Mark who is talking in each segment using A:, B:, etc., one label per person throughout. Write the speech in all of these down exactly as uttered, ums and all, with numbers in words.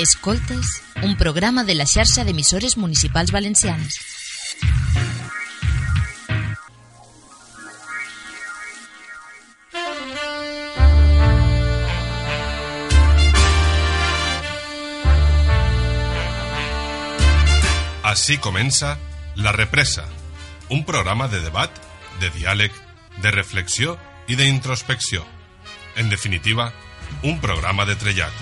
A: Escoltes, un programa de la xarxa d'emissores municipals valencianes.
B: Així comença La Represa, un programa de debat, de diàleg, de reflexió i d'introspecció. En definitiva, un programa de trellat.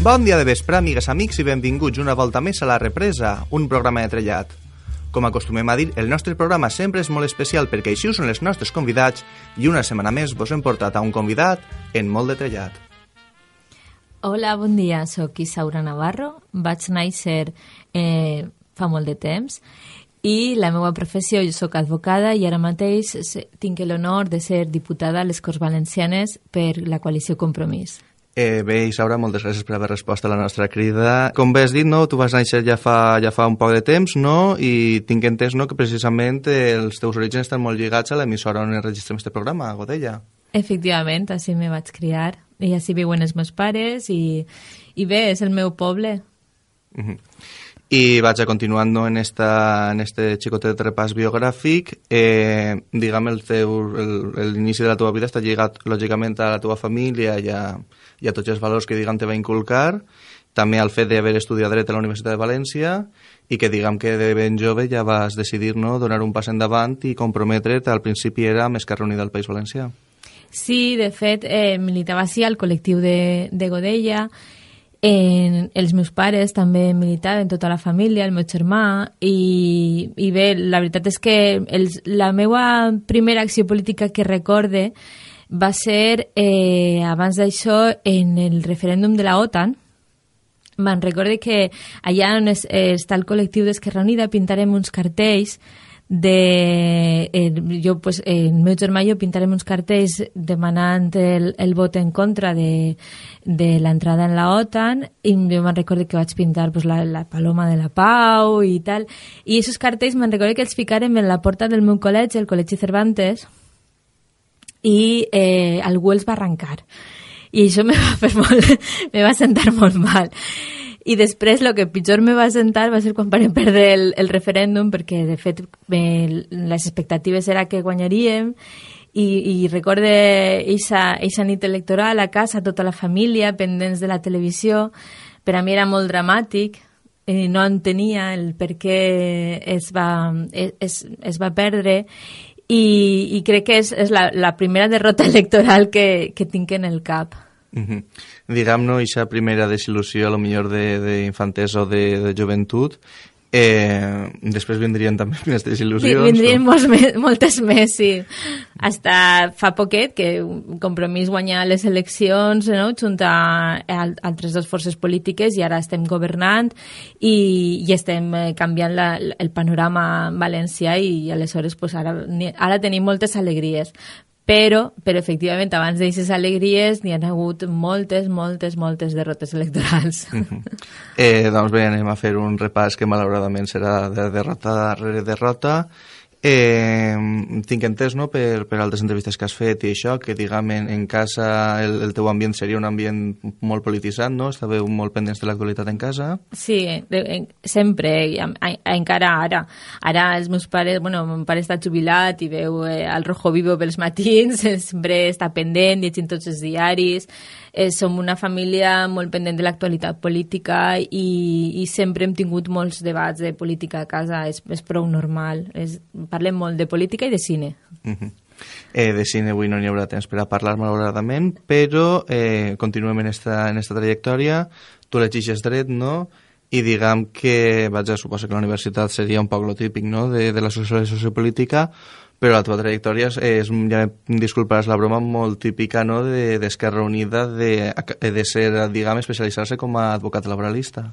C: Bon dia de vespre, amigues, amics, i benvinguts una volta més a La Represa, un programa de trellat. Com acostumem a dir, el nostre programa sempre és molt especial perquè així són els nostres convidats i una setmana més vos hem portat a un convidat en molt de trellat.
D: Hola, bon dia, soc Isaura Navarro, vaig néixer eh, fa molt de temps i la meva professió, jo soc advocada i ara mateix tinc l'honor de ser diputada a les Corts Valencianes per la coalició Compromís.
C: Eh, bé, Isaura, moltes gràcies per haver respost a la nostra crida. Com bé has dit, no? Tu vas néixer ja fa, ja fa un poc de temps, no? I tinc entès, no?, que precisament els teus orígens estan molt lligats a l'emissora on enregistrem este programa, a Godella.
D: Efectivament, així me vaig criar i així viuen els meus pares i, i bé, és el meu poble.
C: Uh-huh. I vaig a continuant, no, en, esta, en este xicotet repàs biogràfic. Eh, diguem, el teu, el, l'inici de la teva vida està lligat, lògicament, a la teva família i a, i a tots els valors que, diguem, te va inculcar, també al fet d'haver estudiat dret a la Universitat de València i que, diguem, que de ben jove ja vas decidir, no, donar un pas endavant i comprometre't, al principi era amb Esquerra Unida del País Valencià.
D: Sí, de fet, eh, militava sí al col·lectiu de, de Godella. En, els meus pares també militaven, tota la família, el meu germà, i, i bé, la veritat és que els, la meva primera acció política que recorde va ser, eh, abans d'això, en el referèndum de la OTAN. Me'n recorde que allà on es, eh, està el col·lectiu d'Esquerra Unida pintarem uns cartells de eh, jo, pues, eh, el meu germà i jo pintarem uns cartells demanant el, el vot en contra de, de l'entrada en la OTAN i jo me'n recordo que vaig pintar pues, la, la paloma de la pau i tal, i aquests cartells me'n recordo que els ficarem en la porta del meu col·legi, el Col·legi Cervantes, i eh, algú els va arrencar i això me va fer molt me va sentar molt mal. I després el que pitjor me va sentar va ser quan vam perdre el, el referèndum, perquè de fet eh, les expectatives era que guanyaríem i, i recorde eixa nit electoral a casa, tota la família pendents de la televisió. Per a mi era molt dramàtic, eh, no entenia el per què es va, es, es va perdre i, i crec que és, és la, la primera derrota electoral que, que tinc en el cap.
C: Uh-huh. Diguem-ne, aquesta primera desil·lusió, a lo millor d'infantesa o de, de joventut, eh, després vindrien també més desil·lusions.
D: Vindrien o... molts, moltes més, sí. Hasta fa poquet que Compromís guanyà les eleccions, no?, junt a, a altres dues forces polítiques, i ara estem governant i, i estem canviant la, el panorama valencià i aleshores pues, ara, ara tenim moltes alegries. Però, però efectivament, abans d'aquestes alegries n'hi ha hagut moltes, moltes, moltes derrotes electorals.
C: Uh-huh. eh, doncs bé, anem a fer un repàs que malauradament serà de derrota darrere derrota. Eh, tinc entès, no?, per, per altres entrevistes que has fet i això, que, diguem, en, en casa el, el teu ambient seria un ambient molt polititzat, no? Estàveu molt pendents de l'actualitat en casa?
D: Sí, de, en, sempre, i, a, a, encara ara. Ara els meus pares, bueno, mon pare està jubilat i veu eh, el Rojo Vivo pels matins, sempre està pendent, llegint tots els diaris. Eh, som una família molt pendent de l'actualitat política i, i sempre hem tingut molts debats de política a casa, és, és prou normal. És, parlem molt de política i de cine.
C: Uh-huh. eh, de cine avui no n'hi haurà temps per a parlar malauradament, però eh, continuem en esta, en esta trajectòria. Tu elegixes dret, no?, i diguem que, vaig a suposar que la universitat seria un poc lo típic, no?, de, de la sociopolítica, però la teva trajectòria és, és ja em disculparàs la broma, molt típica, no?, d'Esquerra de, Unida, de, de ser, diguem, especialitzar-se com a advocat laboralista.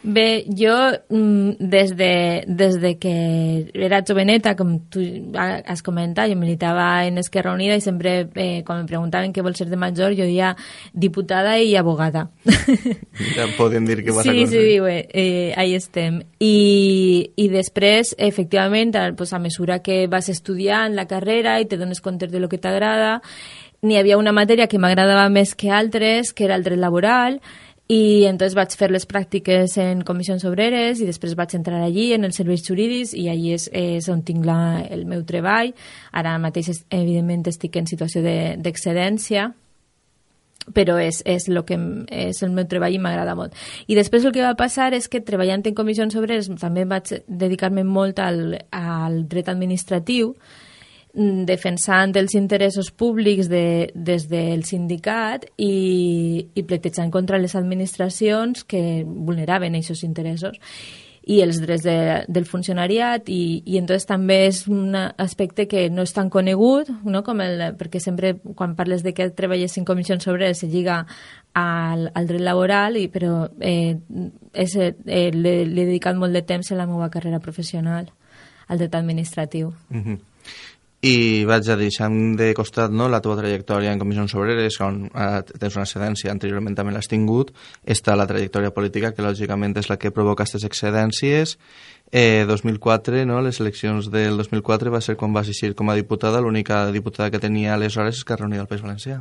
D: Bé, jo des de, des de que era joveneta, com tu has comentat, jo militava en Esquerra Unida i sempre, eh, quan em preguntaven què vol ser de major, jo deia diputada i abogada.
C: Ja podem dir que vas
D: sí,
C: a aconseguir.
D: Sí, sí, bé, eh, ahí estem. I, i després, efectivament, pues, a mesura que vas estudiant la carrera i te dones compte de lo que t'agrada, n'hi havia una matèria que m'agradava més que altres, que era el dret laboral, i entonces vaig fer les pràctiques en comissions obreres i després vaig entrar allí en els serveis jurídics i allí és, és on tinc la, el meu treball. Ara mateix evidentment estic en situació d'excedència, però és, és, lo que, és el meu treball i m'agrada molt. I després el que va passar és que treballant en comissions obreres també vaig dedicar-me molt al, al dret administratiu, defensant els interessos públics de, des del sindicat i, i pletejant contra les administracions que vulneraven aquests interessos i els drets de, del funcionariat i, i entonces també és un aspecte que no és tan conegut, no? Com el, perquè sempre quan parles de que treballes en comissions obreres se lliga al, al dret laboral, i, però eh, és, eh, l'he dedicat molt de temps a la meva carrera professional al dret administratiu.
C: Mm-hmm. I vaig a deixant de costat, no, la teva trajectòria en comissions obreres, on eh, tens una excedència, anteriorment també l'has tingut, està la trajectòria política, que lògicament és la que provoca aquestes excedències. Eh, dos mil quatre, no, les eleccions del dos mil quatre va ser quan vas eixir com a diputada, l'única diputada que tenia aleshores és Esquerra Unida del País Valencià.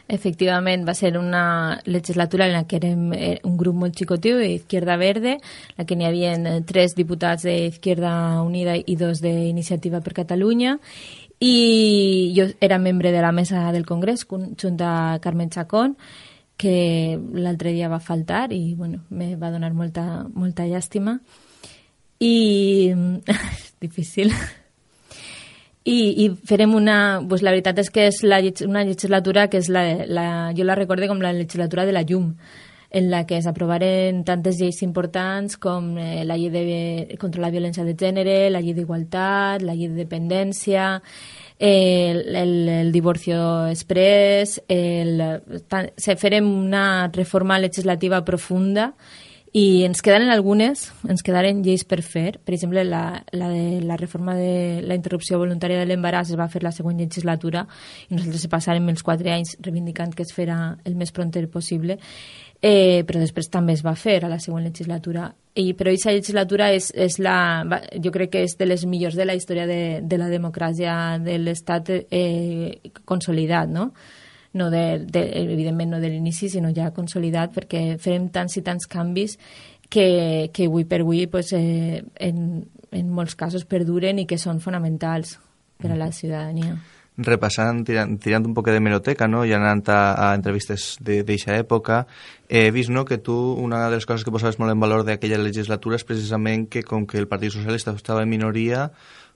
D: Efectivament, va ser una legislatura en la que érem un grup molt xicotiu d'Izquierda Verde, en la que n'hi havia tres diputats d'Izquierda Unida i dos d'Iniciativa per Catalunya, i jo era membre de la mesa del Congrés junt a Carmen Chacón, que l'altre dia va faltar i bueno, me va donar molta, molta llàstima. I és difícil. I, i farem una... Pues la veritat és que és la, una legislatura que és la, la, jo la recorde com la legislatura de la llum, en la que s'aprovaren tantes lleis importants com eh, la llei de, contra la violència de gènere, la llei d'igualtat, la llei de dependència, eh, el, el, el divorcio express, el, tan, se farem una reforma legislativa profunda. I ens quedaren algunes, ens quedaren lleis per fer. Per exemple, la, la, de, la reforma de la interrupció voluntària de l'embaràs es va fer la següent legislatura i nosaltres se passàrem els quatre anys reivindicant que es fera el més pronter possible, eh, però després també es va fer a la següent legislatura. I, però aquesta legislatura és, és la, jo crec que és de les millors de la història de, de la democràcia de l'Estat eh, consolidat, no? No de, de, evidentment no de l'inici, sinó ja consolidat, perquè farem tants i tants canvis que, que avui per avui pues, eh, en, en molts casos perduren i que són fonamentals per a la ciutadania.
C: Repassant, tirant, tirant un poc de meroteca, no? I anant a, a entrevistes d'aquesta època, he vist, no, que tu, una de les coses que posaves molt en valor d'aquella legislatura és precisament que com que el Partit Socialista estava en minoria,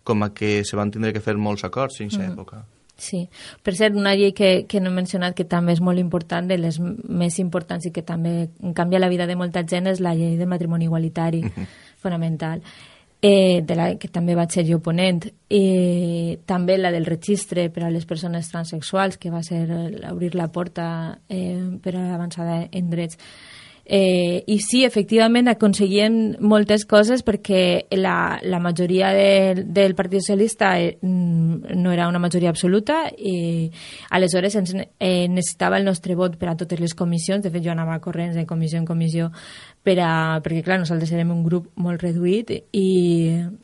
C: com a que se van tindre que fer molts acords en aquesta mm. època.
D: Sí, per cert, una llei que, que no he mencionat que també és molt important, de les més importants i que també canvia la vida de molta gent, és la llei del matrimoni igualitari, uh-huh. fonamental, eh, de la que també vaig ser jo ponent. Eh, també la del registre per a les persones transsexuals, que va ser obrir la porta eh, per a l'avançada en drets. Eh, I sí, efectivament, aconseguien moltes coses perquè la, la majoria de, del Partit Socialista eh, no era una majoria absoluta i aleshores ens, eh, necessitava el nostre vot per a totes les comissions. De fet, jo anava corrents de comissió en comissió per a, perquè, clar, nosaltres érem un grup molt reduït i,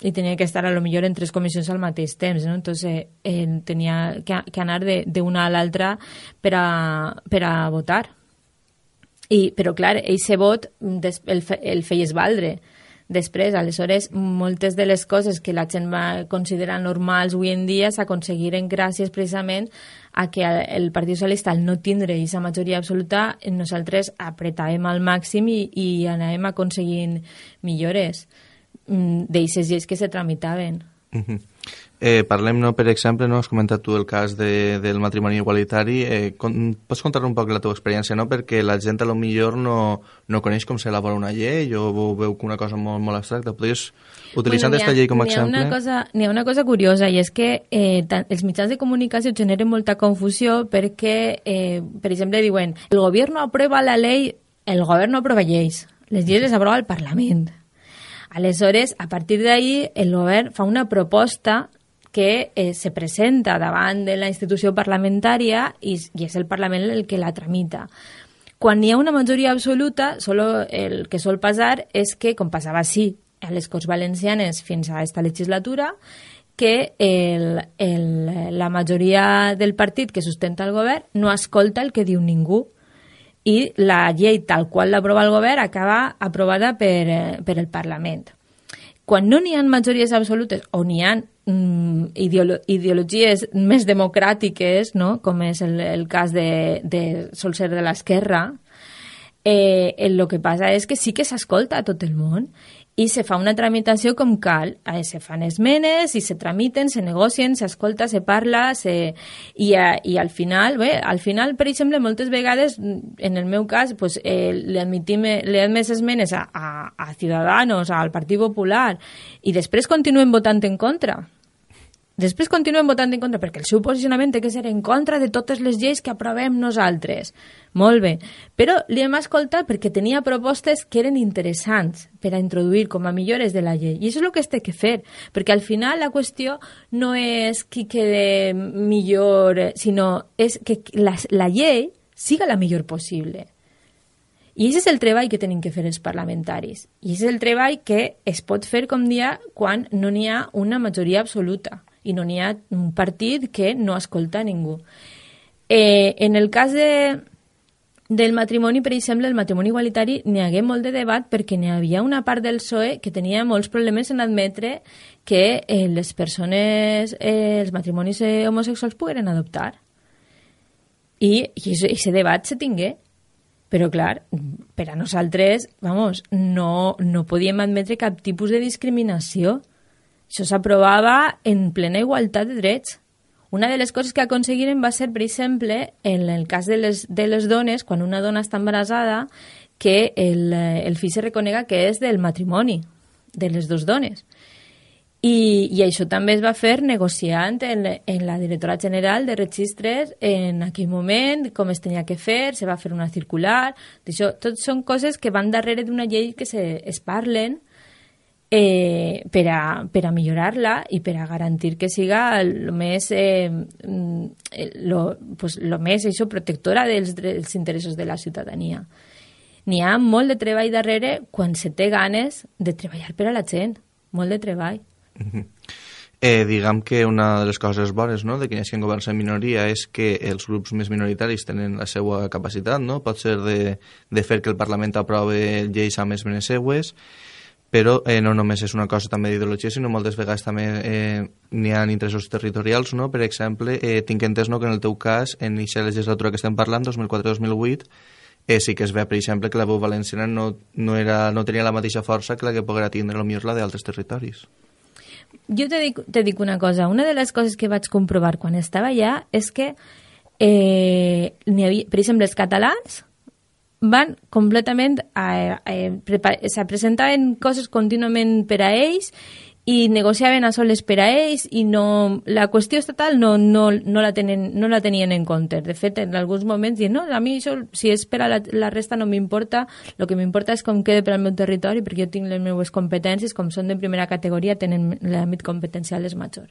D: i tenia que estar a lo millor en tres comissions al mateix temps, no? Entonces eh, tenia que, que anar d'una a l'altra per a, per a votar. I, però clar, eixe vot des, el, el feies valdre després. Aleshores, moltes de les coses que la gent va considerar normals avui en dia s'aconseguiren gràcies precisament a que el Partit Socialista, al no tindre aquesta majoria absoluta, nosaltres apretàvem al màxim i, i anàvem aconseguint millores d'eixes lleis que se tramitaven.
C: Uh-huh. Eh, parlem, no, per exemple, no, has comentat tu el cas de, del matrimoni igualitari. Eh, con, pots contar un poc la teva experiència, no? Perquè la gent a lo millor no, no coneix com s'elabora una llei o veu que una cosa molt, molt abstracta. Podries, utilitzant aquesta bueno, llei com a exemple...
D: Una cosa, n'hi ha una cosa curiosa, i és que eh, tant, els mitjans de comunicació generen molta confusió perquè, eh, per exemple, diuen el govern aprueba la llei, el govern no aprova lleis, les lleis les aprova el Parlament. Aleshores, a partir d'ahí, el govern fa una proposta que eh, se presenta davant de la institució parlamentària i, i és el Parlament el que la tramita. Quan hi ha una majoria absoluta, solo el que sol passar és que, com passava així a les Corts Valencianes fins a aquesta legislatura, que el, el, la majoria del partit que sustenta el govern no escolta el que diu ningú i la llei tal qual l'aprova el govern acaba aprovada per, per el Parlament. Quan no n'hi ha majories absolutes o n'hi ha mm, ideolo ideologies més democràtiques, no? Com és el, el cas de, de sol ser de l'esquerra, eh, el que passa és que sí que s'escolta a tot el món i se fa una tramitació com cal. Eh, se fan esmenes i se tramiten, se negocien, s'escolta, se parla, se... I, a, i al final, bé, al final, per exemple, moltes vegades, en el meu cas, pues, eh, li admitim més esmenes a, a, a Ciudadanos, al Partit Popular, i després continuen votant en contra. Després continuen votant en contra, perquè el seu posicionament té que ser en contra de totes les lleis que aprovem nosaltres. Molt bé, però li hem escoltat perquè tenia propostes que eren interessants per a introduir com a millores de la llei. I això és el que es té que fer, perquè al final la qüestió no és qui quede millor, sinó és que la, la llei siga la millor possible. I aquest és el treball que tenim que fer els parlamentaris. I aquest és el treball que es pot fer, com dia, quan no n'hi ha una majoria absoluta i no n'hi ha un partit que no escolta ningú. Eh, en el cas de, del matrimoni, per exemple, el matrimoni igualitari, n'hi hagué molt de debat perquè n'hi havia una part del P S O E que tenia molts problemes en admetre que eh, les persones, eh, els matrimonis eh, homosexuals pogueren adoptar. I aquest debat se tingué. Però, clar, per a nosaltres, vamos, no, no podíem admetre cap tipus de discriminació. Això s'aprovava en plena igualtat de drets. Una de les coses que aconseguiren va ser, per exemple, en el cas de les, de les dones, quan una dona està embarassada, que el, el fill se reconega que és del matrimoni, de les dues dones. I, i això també es va fer negociant en, en la Directora General de Registres en aquell moment, com es tenia que fer, se va fer una circular. Això, tot són coses que van darrere d'una llei que se, es parlen eh, per, a, per a millorar-la i per a garantir que siga el més, eh, lo, pues, lo més això, protectora dels, dels interessos de la ciutadania. N'hi ha molt de treball darrere quan se té ganes de treballar per a la gent. Molt de treball.
C: Eh, diguem que una de les coses bones, no?, de que hi hagi governs en minoria és que els grups més minoritaris tenen la seva capacitat, no? Pot ser de, de fer que el Parlament aprove lleis amb esmenes seues, però eh, no només és una cosa també d'ideologia, sinó moltes vegades també eh, n'hi ha interessos territorials, no? Per exemple, eh, tinc entès, no?, que en el teu cas, en aquesta legislatura que estem parlant, dos mil quatre dos mil vuit, eh, sí que es ve, per exemple, que la veu valenciana no, no, era, no tenia la mateixa força que la que poguera tindre potser la d'altres territoris.
D: Jo te dic, te dic una cosa. Una de les coses que vaig comprovar quan estava allà és que, eh, n'hi havia, per exemple, els catalans van completament a, a, a, se presentaven coses contínuament per a ells i negociaven a soles per a ells i no, la qüestió estatal no, no, no, la tenen, no la tenien en compte. De fet, en alguns moments diuen, no, a mi això, si és per a la, la resta no m'importa, el que m'importa és com quede per al meu territori perquè jo tinc les meves competències, com són de primera categoria, tenen l'àmbit competencial és major.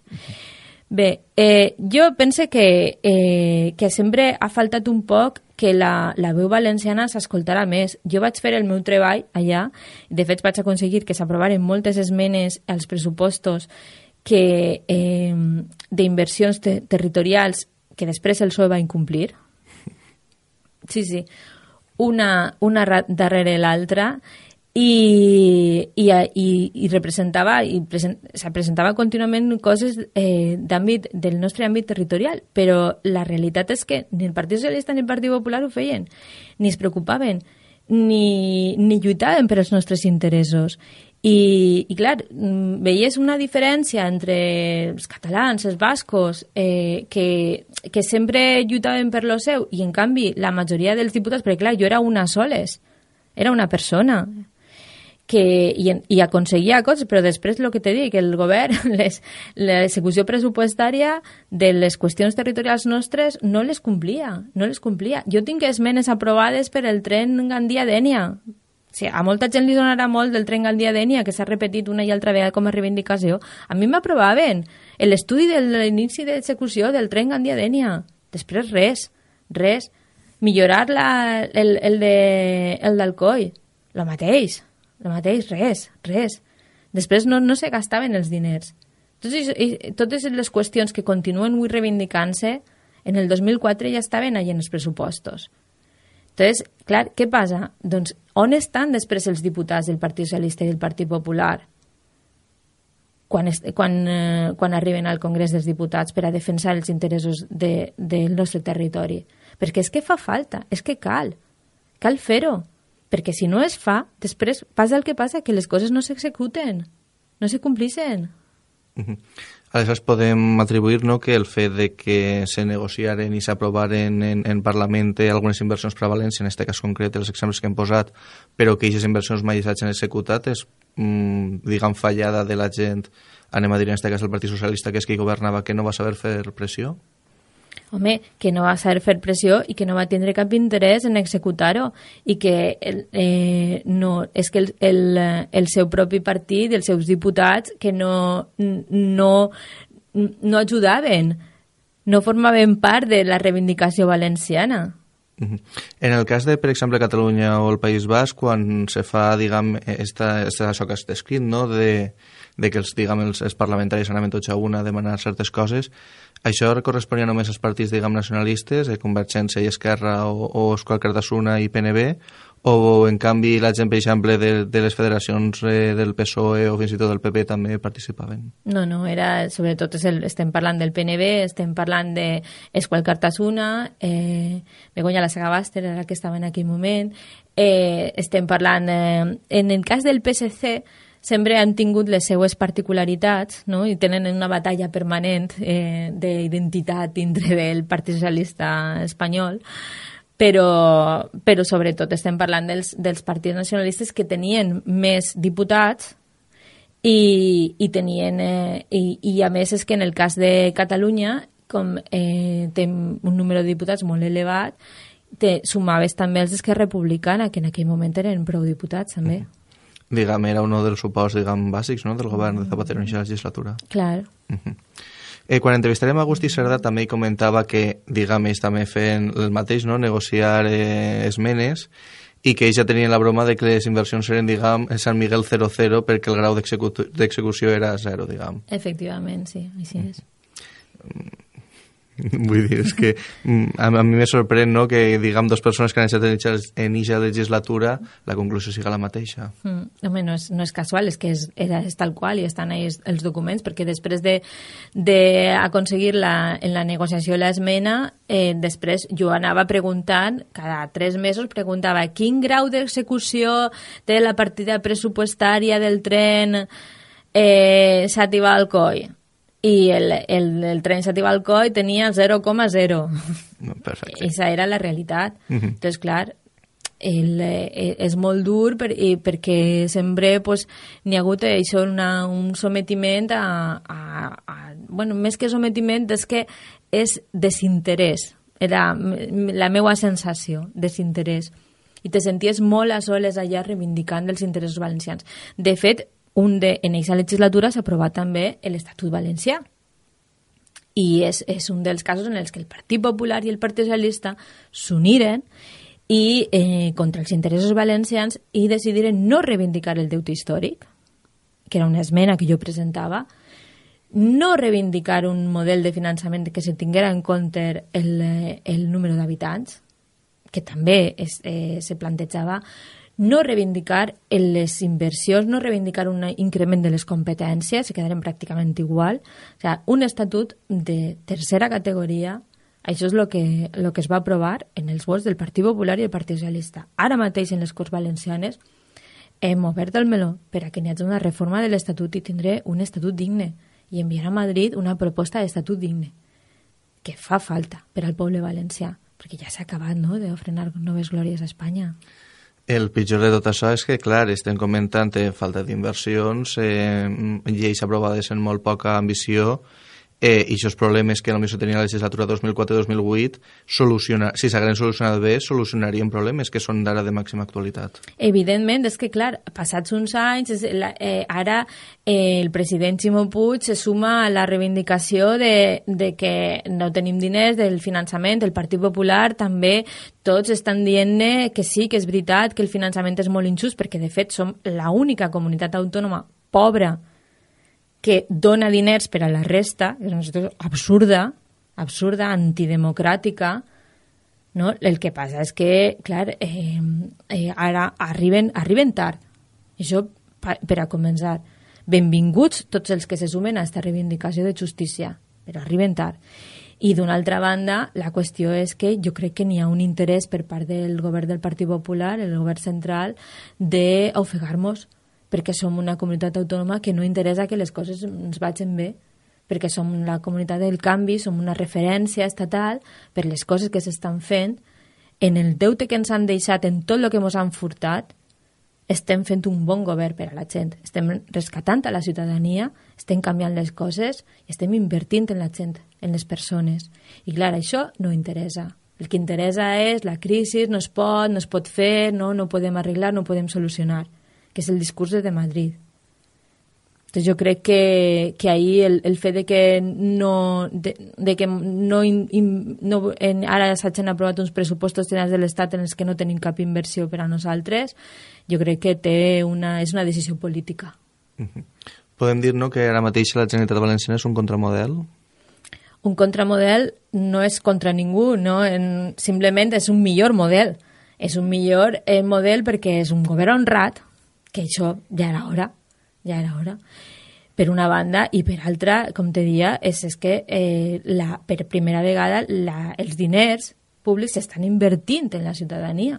D: Bé, eh, jo pense que, eh, que sempre ha faltat un poc que la, la veu valenciana s'escoltarà més. Jo vaig fer el meu treball allà, de fet vaig aconseguir que s'aprovaren moltes esmenes als pressupostos que, eh, d'inversions te territorials que després el P S O E va incomplir. Sí, sí, una, una darrere l'altra. I, i, i, i representava i present, se presentava contínuament coses eh, d'àmbit del nostre àmbit territorial, però la realitat és que ni el Partit Socialista ni el Partit Popular ho feien, ni es preocupaven, ni, ni lluitaven per als nostres interessos. I, i clar, veies una diferència entre els catalans, els bascos, eh, que, que sempre lluitaven per lo seu, i en canvi la majoria dels diputats, perquè clar, jo era una soles, era una persona, que, i, i aconseguia coses, però després el que t'he dit, que el govern, l'execució pressupostària de les qüestions territorials nostres no les complia, no les complia. Jo tinc esmenes aprovades per el tren Gandia-Dénia. O sigui, a molta gent li donarà molt del tren Gandia-Dénia, que s'ha repetit una i altra vegada com a reivindicació. A mi m'aprovaven l'estudi de l'inici d'execució del tren Gandia-Dénia. Després res, res. Millorar la, el, el, de, el d'Alcoi, el mateix. El mateix, res, res. Després no, no se gastaven els diners. Totes, totes les qüestions que continuen avui reivindicant-se, en el dos mil quatre ja estaven allà en els pressupostos. Entonces, clar, què passa? Doncs, on estan després els diputats del Partit Socialista i del Partit Popular quan, est, quan, eh, quan arriben al Congrés dels Diputats per a defensar els interessos de, del nostre territori? Perquè és que fa falta, és que cal, cal fer-ho, perquè si no es fa, després passa el que passa, que les coses no s'executen, no se complixen.
C: Uh-huh. Aleshores podem atribuir, no, que el fet de que se negociaren i s'aprovaren en, en Parlament algunes inversions per a València, en aquest cas concret, els exemples que hem posat, però que aquestes inversions mai s'hagin executat, és, mm, diguem, fallada de la gent, anem a dir en aquest cas el Partit Socialista, que és qui governava, que no va saber fer pressió?
D: Home, que no va saber fer pressió i que no va tindre cap interès en executar-ho i que el, eh, no, és que el, el, el seu propi partit, els seus diputats, que no, no, no ajudaven, no formaven part de la reivindicació valenciana.
C: Uh-huh. En el cas de, per exemple, Catalunya o el País Basc, quan se fa, diguem, esta, esta, això que has descrit, no?, de, de que els, diguem, els, els parlamentaris anaven tots a una a demanar certes coses, això corresponia només als partits, diguem, nacionalistes, eh, Convergència i Esquerra o, o Euskal Alkartasuna i P N B, o en canvi la gent, per exemple, de, de les federacions eh, del P S O E o fins i tot del P P també participaven? No,
D: no, era, sobretot és el, estem parlant del P N B, estem parlant de Euskal Alkartasuna, eh, Begoña Lasagabàster era la que estava en aquell moment, eh, estem parlant, eh, en el cas del P S C, sempre han tingut les seues particularitats, no?, i tenen una batalla permanent eh, d'identitat dintre del Partit Socialista espanyol, però, però sobretot estem parlant dels, dels partits nacionalistes que tenien més diputats i, i tenien eh, i, i a més és que en el cas de Catalunya, com eh, té un número de diputats molt elevat, te sumaves també els d'Esquerra Republicana, que en aquell moment eren prou diputats també. Mm.
C: Diguem, era un dels suports, diguem, bàsics, no?, del govern de Zapatero en aquesta legislatura.
D: Clar.
C: Uh-huh. Eh, quan entrevistarem a Agustí Cerdà també comentava que, diguem, ells també feien el mateix, no?, negociar eh, esmenes, i que ells ja tenien la broma de que les inversions eren, diguem, Sant Miguel zero cero perquè el grau d'execució era zero, diguem.
D: Efectivament, sí, així és.
C: Mm. Vull dir, és que a, a mi me sorprèn, no?, que, diguem, dues persones que han estat en eixa legislatura la conclusió siga la mateixa.
D: Mm, home, no és, no és casual, és que és, era, és tal qual i estan ahí els documents, perquè després d'aconseguir la, en la negociació l'esmena, eh, després jo anava preguntant, cada tres mesos preguntava quin grau d'execució té la partida pressupostària del tren eh, Xàtiva-Alcoi. I el, el, el tren Xàtiva-Alcoi tenia el zero coma zero.
C: Perfecte.
D: Esa era la realitat. Uh-huh. Entonces, clar, el, eh, és molt dur per, i perquè sempre pues, n'hi ha hagut això, una, un sometiment a, a, a... Bueno, més que sometiment, és que és desinterès. Era la meva sensació, desinterès. I te senties molt a soles allà reivindicant els interessos valencians. De fet, un de, en aquesta legislatura s'ha aprovat també l'Estatut Valencià. I és, és un dels casos en els que el Partit Popular i el Partit Socialista s'uniren i, eh, contra els interessos valencians i decidiren no reivindicar el deute històric, que era una esmena que jo presentava, no reivindicar un model de finançament que se tinguera en compte el, el número d'habitants, que també es, eh, se plantejava, no reivindicar les inversions, no reivindicar un increment de les competències, se quedaren pràcticament igual. O sigui, un estatut de tercera categoria, això és el que, lo que es va aprovar en els vots del Partit Popular i el Partit Socialista. Ara mateix en les Corts Valencianes hem obert el meló per a que n'hi hagi una reforma de l'estatut i tindré un estatut digne i enviar a Madrid una proposta d'estatut digne que fa falta per al poble valencià, perquè ja s'ha acabat, no?, de frenar noves glòries a Espanya.
C: El pitjor de tot això és que, clar, estem comentant eh, falta d'inversions, eh, lleis aprovades en molt poca ambició, eh, i aquests problemes que potser tenia la legislatura dos mil quatre dos mil vuit, soluciona, si s'hagueren solucionat bé, solucionarien problemes que són d'ara de màxima actualitat.
D: Evidentment, és que, clar, passats uns anys, és la, eh, ara eh, el president Ximo Puig se suma a la reivindicació de, de que no tenim diners, del finançament, el Partit Popular també, tots estan dient que sí, que és veritat, que el finançament és molt injust, perquè de fet som l'única comunitat autònoma pobra que dona diners per a la resta, és una situació absurda, absurda, antidemocràtica, no? El que passa és que, clar, eh, eh, ara arriben, arriben tard. Això per a començar. Benvinguts tots els que se sumen a aquesta reivindicació de justícia, però arriben tard. I d'una altra banda, la qüestió és que jo crec que n'hi ha un interès per part del govern del Partit Popular, el govern central, d'ofegar-nos, perquè som una comunitat autònoma que no interessa que les coses ens vagin bé, perquè som la comunitat del canvi, som una referència estatal per les coses que s'estan fent, en el deute que ens han deixat, en tot el que ens han furtat, estem fent un bon govern per a la gent, estem rescatant a la ciutadania, estem canviant les coses i estem invertint en la gent, en les persones. I clar, això no interessa. El que interessa és la crisi, no es pot, no es pot fer, no, no podem arreglar, no podem solucionar, que és el discurs de Madrid. Entonces jo crec que, que ahí el, el fet de que no, de, de que no, in, no en, ara s'hagin aprovat uns pressupostos generals de l'Estat en els que no tenim cap inversió per a nosaltres, jo crec que té una, és una decisió política.
C: Uh-huh. Podem dir, no, que ara mateix la Generalitat Valenciana és un contramodel?
D: Un contramodel no és contra ningú, no? En, simplement és un millor model. És un millor eh, model perquè és un govern honrat, que això ja era hora, ja era hora, per una banda, i per altra, com te dia, és, és que eh, la, per primera vegada la, els diners públics s'estan invertint en la ciutadania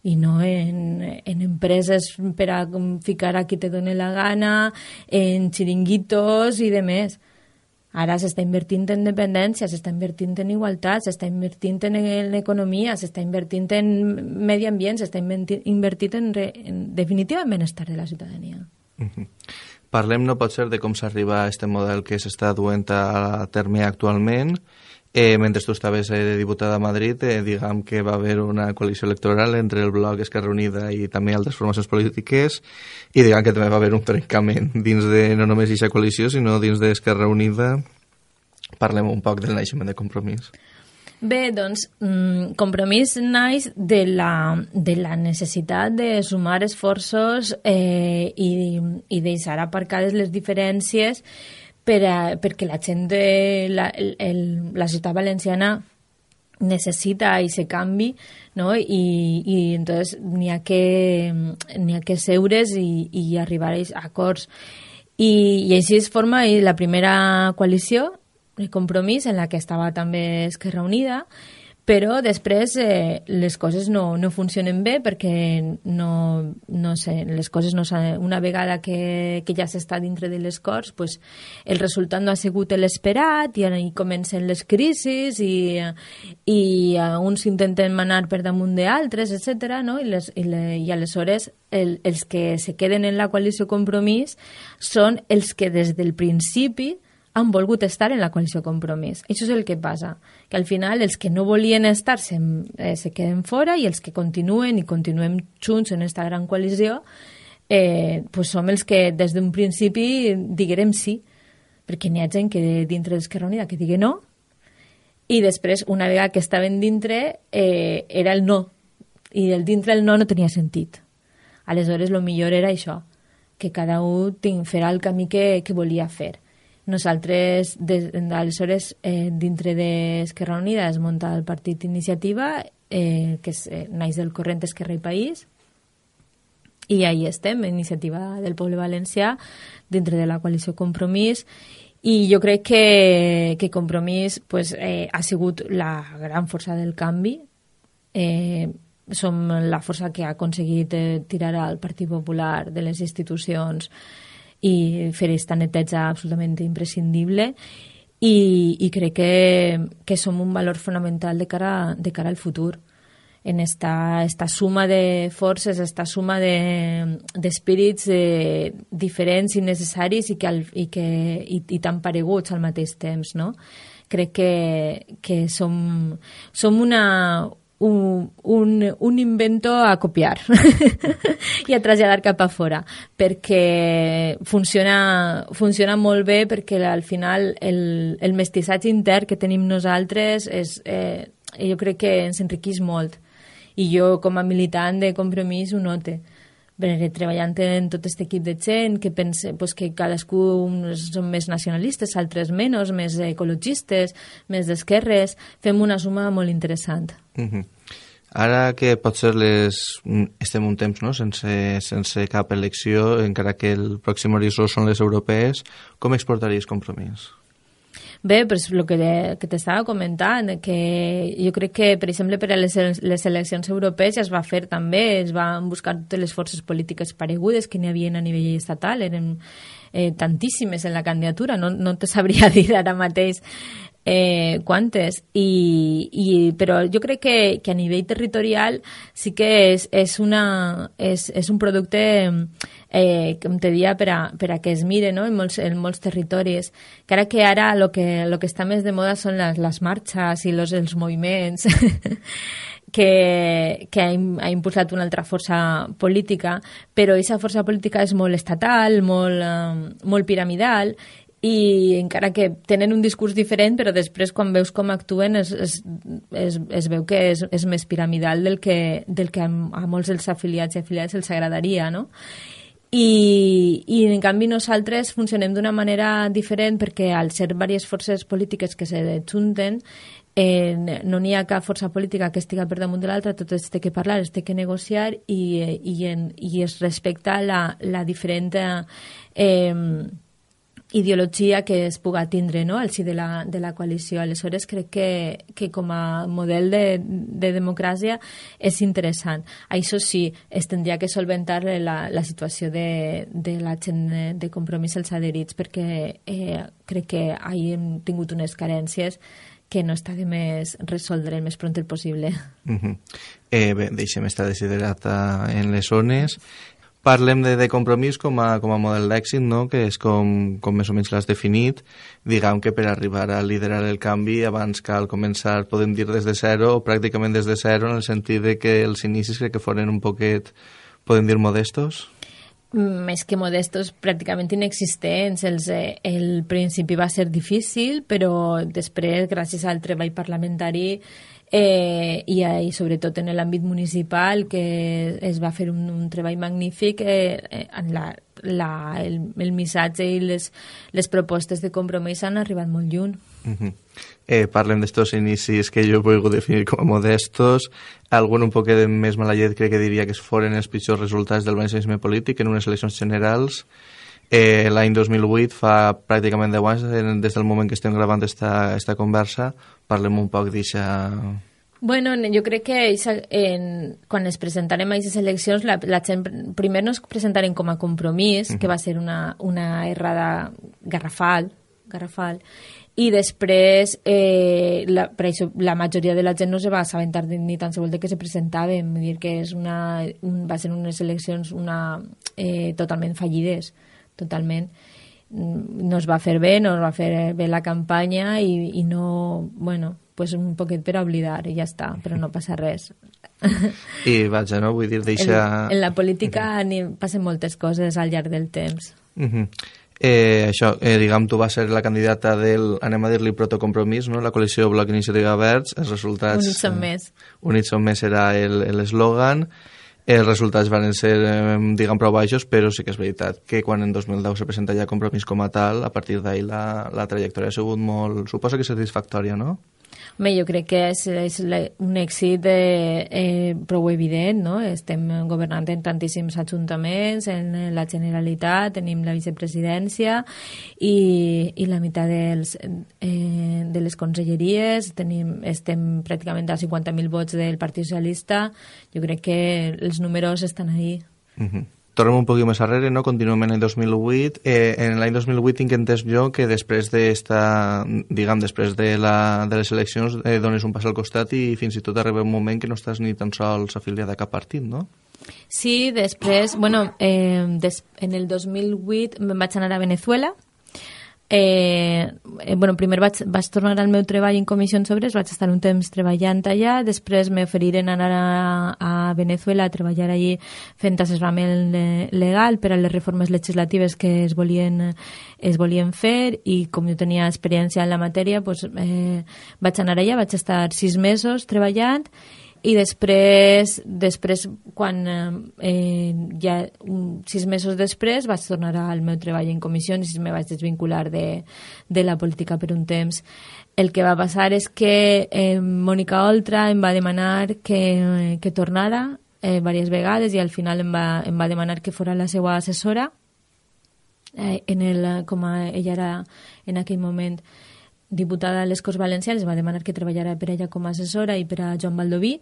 D: i no en, en empreses per a ficar a qui te doni la gana, en xiringuitos i de més. Ara s'està invertint en dependència, s'està invertint en igualtat, s'està invertint en, en economia, s'està invertint en medi ambient, s'està invertint en, re, en definitiva en benestar de la ciutadania.
C: Uh-huh. Parlem, no pot ser, de com s'arriba a aquest model que s'està duent a terme actualment. Eh, mentre tu estaves eh, de diputada a Madrid, eh, diguem que va haver una coalició electoral entre el Bloc, Esquerra Unida i també altres formacions polítiques, i diguem que també va haver un trencament dins de no només aquesta coalició, sinó dins d'Esquerra Unida. Parlem un poc del naixement de Compromís.
D: Bé, doncs, Compromís naix de la, de la necessitat de sumar esforços eh, i, i deixar aparcades les diferències per a, perquè la gent de la, el, el, la ciutat valenciana necessita aquest canvi, no? I, i entonces n'hi ha que, n'hi ha que seure's i, i arribar a acords. I, i així es forma la primera coalició, el Compromís, en la que estava també Esquerra Unida, però després eh, les coses no, no funcionen bé perquè no, no sé, les coses no una vegada que, que ja s'està dintre de les Corts, pues, el resultat no ha sigut l'esperat i ahí comencen les crisis i, i uh, uns intenten manar per damunt d'altres, etcètera, no? I, les, i, le, i aleshores el, els que se queden en la coalició Compromís són els que des del principi han volgut estar en la coalició Compromís. Això és el que passa, que al final els que no volien estar se, eh, se queden fora i els que continuen i continuem junts en aquesta gran coalició eh, pues som els que des d'un principi diguem sí, perquè n'hi ha gent que dintre d'Esquerra Unida que digui no i després, una vegada que estaven dintre, eh, era el no, i el dintre el no no tenia sentit. Aleshores, el millor era això, que cada un farà el camí que, que volia fer. Nosaltres, des, aleshores, eh, dintre d'Esquerra Unida es munta el Partit Iniciativa, eh, que és, eh, naix del corrent Esquerra i País, i ahí estem, Iniciativa del Poble Valencià, dintre de la coalició Compromís, i jo crec que, que Compromís pues, eh, ha sigut la gran força del canvi. Eh, som la força que ha aconseguit eh, tirar al Partit Popular de les institucions i fer aquesta neteja absolutament imprescindible i, i crec que, que som un valor fonamental de cara, de cara al futur en esta, esta suma de forces, esta suma d'espírits de, eh, diferents i necessaris i, que, al, i, que, i, i tan pareguts al mateix temps, no? Crec que, que som, som una... Un, un, un invento a copiar i a traslladar cap a fora perquè funciona, funciona molt bé perquè al final el, el mestissatge intern que tenim nosaltres és, eh, jo crec que ens enriqueix molt i jo com a militant de Compromís ho note perquè treballant en tot aquest equip de gent que pensa pues, que cadascú són més nacionalistes, altres menys, més ecologistes, més d'esquerres, fem una suma molt interessant.
C: Uh-huh. Ara que potser les, estem un temps no? sense, sense cap elecció, encara que el pròxim horitzó són les europees, com exportaries Compromís?
D: Bé, però és el que, que t'estava comentant, que jo crec que, per exemple, per a les, les eleccions europees ja es va fer també, es van buscar totes les forces polítiques paregudes que n'hi havia a nivell estatal, eren eh, tantíssimes en la candidatura, no, no te sabria dir ara mateix eh, quantes, I, i, però jo crec que, que a nivell territorial sí que és, és, una, és, és un producte eh, com te dia per a, per a que es mire no? en, molts, en molts territoris, que ara que ara el que, lo que està més de moda són les, les marxes i los, els moviments que, que ha, ha impulsat una altra força política, però aquesta força política és molt estatal, molt, eh, molt piramidal, i encara que tenen un discurs diferent, però després quan veus com actuen es, es, es, es veu que és, és més piramidal del que, del que a, a molts dels afiliats i afiliats els agradaria, no? I, i en canvi nosaltres funcionem d'una manera diferent perquè al ser diverses forces polítiques que se junten eh, no n'hi ha cap força política que estigui per damunt de l'altra, tot es té que parlar, es té que negociar i, i, en, i es respecta la, la diferent eh, ideologia que es puga tindre no? al si de la, de la coalició. Aleshores crec que, que com a model de, de democràcia és interessant. Això sí, es tindria que solventar la, la situació de, de la gent de Compromís als adherits, perquè eh, crec que hi hem tingut unes carències que no està de més resoldre el més pront el possible.
C: Uh-huh. eh, bé, deixem estar desiderata en les zones. Parlem de, de Compromís com a, com a model d'èxit, no? Que és com, com més o menys l'has definit. Diguem que per arribar a liderar el canvi abans cal començar, podem dir, des de zero o pràcticament des de zero, en el sentit de que els inicis crec que foren un poquet, podem dir, modestos?
D: Més que modestos, pràcticament inexistents. Els, eh, el principi va ser difícil, però després, gràcies al treball parlamentari eh, i, i sobretot en l'àmbit municipal, que es va fer un, un treball magnífic, eh, en la, la, el, el missatge i les, les propostes de Compromís han arribat molt lluny.
C: Uh-huh. eh, parlem d'estos inicis que jo puc definir com a modestos. Algun un poc més malallet crec que diria que foren els pitjors resultats del valencianisme polític en unes eleccions generals. Eh, l'any dos mil vuit, fa pràcticament deu anys, des del moment que estem gravant esta, esta conversa, parlem un poc d'aixa...
D: Bueno, jo crec que en, quan es presentarem a aquestes eleccions, la, la gent primer no es presentarem com a Compromís, uh-huh. que va ser una, una errada garrafal, garrafal, i després eh, la, per això, la majoria de la gent no se va assabentar ni tan sols de que se presentaven, vull dir que és una, un, va ser unes eleccions una, eh, totalment fallides, totalment. No es va fer bé, no es va fer bé la campanya i, i no, bueno, pues un poquet per oblidar i ja està, però no passa res.
C: I vaja, no? Vull dir, deixa...
D: En, en la política uh-huh. passen moltes coses al llarg del temps.
C: Uh-huh. Eh, això, eh, diguem, tu vas ser la candidata del, anem a dir-li, protocompromís, no? La coalició Bloc Iniciativa Verds, els resultats...
D: Units som més.
C: Eh, Units som més era l'eslògan. Els resultats van ser, eh, diguem, prou baixos, però sí que és veritat que quan en dos mil deu se presenta ja Compromís com a tal, a partir d'ahir la, la trajectòria ha sigut molt... Suposo que satisfactòria, no?
D: Home, jo crec que és, és un èxit eh, eh, prou evident, no? Estem governant en tantíssims ajuntaments, en la Generalitat, tenim la vicepresidència i, i la meitat dels, eh, de les conselleries, tenim, estem pràcticament a cinquanta mil vots del Partit Socialista. Jo crec que els números estan ahí.
C: Uh-huh. Tornem un poquet més arrere, no? Continuem en l'any dos mil vuit. Eh, en l'any dos mil vuit tinc entès jo que després d'esta, diguem, després de, la, de les eleccions eh, dones un pas al costat i fins i tot arriba un moment que no estàs ni tan sols afiliada a cap partit, no?
D: Sí, després, bueno, eh, des, en el dos mil vuit me'n vaig anar a Venezuela. Eh, eh, bueno, primer vaig, vaig tornar al meu treball en comissions obreres, vaig estar un temps treballant allà, després m'oferiren anar a, a Venezuela a treballar allí fent assessorament legal per a les reformes legislatives que es volien, es volien fer, i com jo tenia experiència en la matèria, pues, eh, vaig anar allà, vaig estar sis mesos treballant i després, després quan eh, ja un, sis mesos després vaig tornar al meu treball en comissions i me vaig desvincular de, de la política per un temps. El que va passar és que eh, Mònica Oltra em va demanar que, que tornara eh, diverses vegades i al final em va, em va demanar que fora la seva assessora. Eh, en el, com a, ella era en aquell moment diputada a les Corts Valencianes, va demanar que treballara per ella com a assessora i per a Joan Baldoví,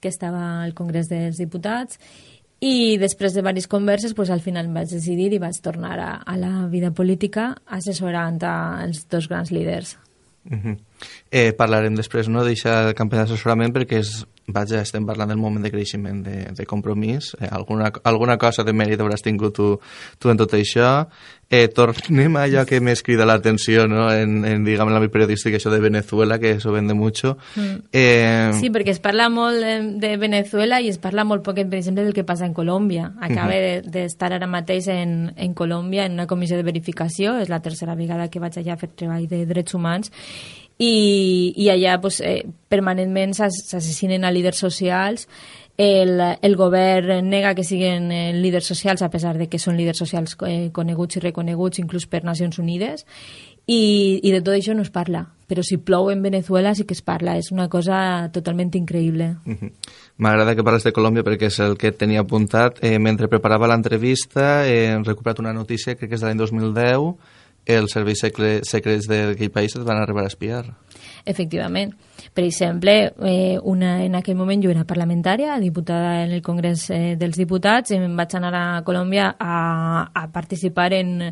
D: que estava al Congrés dels Diputats, i després de diverses converses pues, al final em vaig decidir i vaig tornar a, a la vida política assessorant a els dos grans líders.
C: Uh-huh. eh, parlarem després no, d'aquest campanya d'assessorament perquè és, vaja, estem parlant del moment de creixement de, de compromís, eh, alguna, alguna cosa de mèrit hauràs tingut tu, tu en tot això. Eh, tornem a allò que més crida l'atenció no? en, en, diguem, en l'àmbit periodístic, això de Venezuela, que eso vende mucho. Mm. Eh...
D: Sí, perquè es parla molt de, de Venezuela i es parla molt poc, per exemple, del que passa en Colòmbia. Acaba uh-huh. d'estar ara mateix en, en Colòmbia en una comissió de verificació, és la tercera vegada que vaig allà a fer treball de drets humans, i, i allà pues, eh, permanentment s'assassinen a líders socials. El, el govern nega que siguin eh, líders socials a pesar de que són líders socials eh, coneguts i reconeguts inclús per Nacions Unides i, i de tot això no es parla, però si plou en Venezuela sí que es parla, és una cosa totalment increïble. Uh-huh.
C: M'agrada que parles de Colòmbia perquè és el que tenia apuntat. Eh, mentre preparava l'entrevista eh, he recuperat una notícia, crec que és de l'any dos mil deu, els serveis secrets d'aquell país et van arribar a espiar.
D: Efectivament. Per exemple, eh, una, en aquell moment jo era parlamentària, diputada en el Congrés eh, dels Diputats, i em vaig anar a Colòmbia a, a participar en,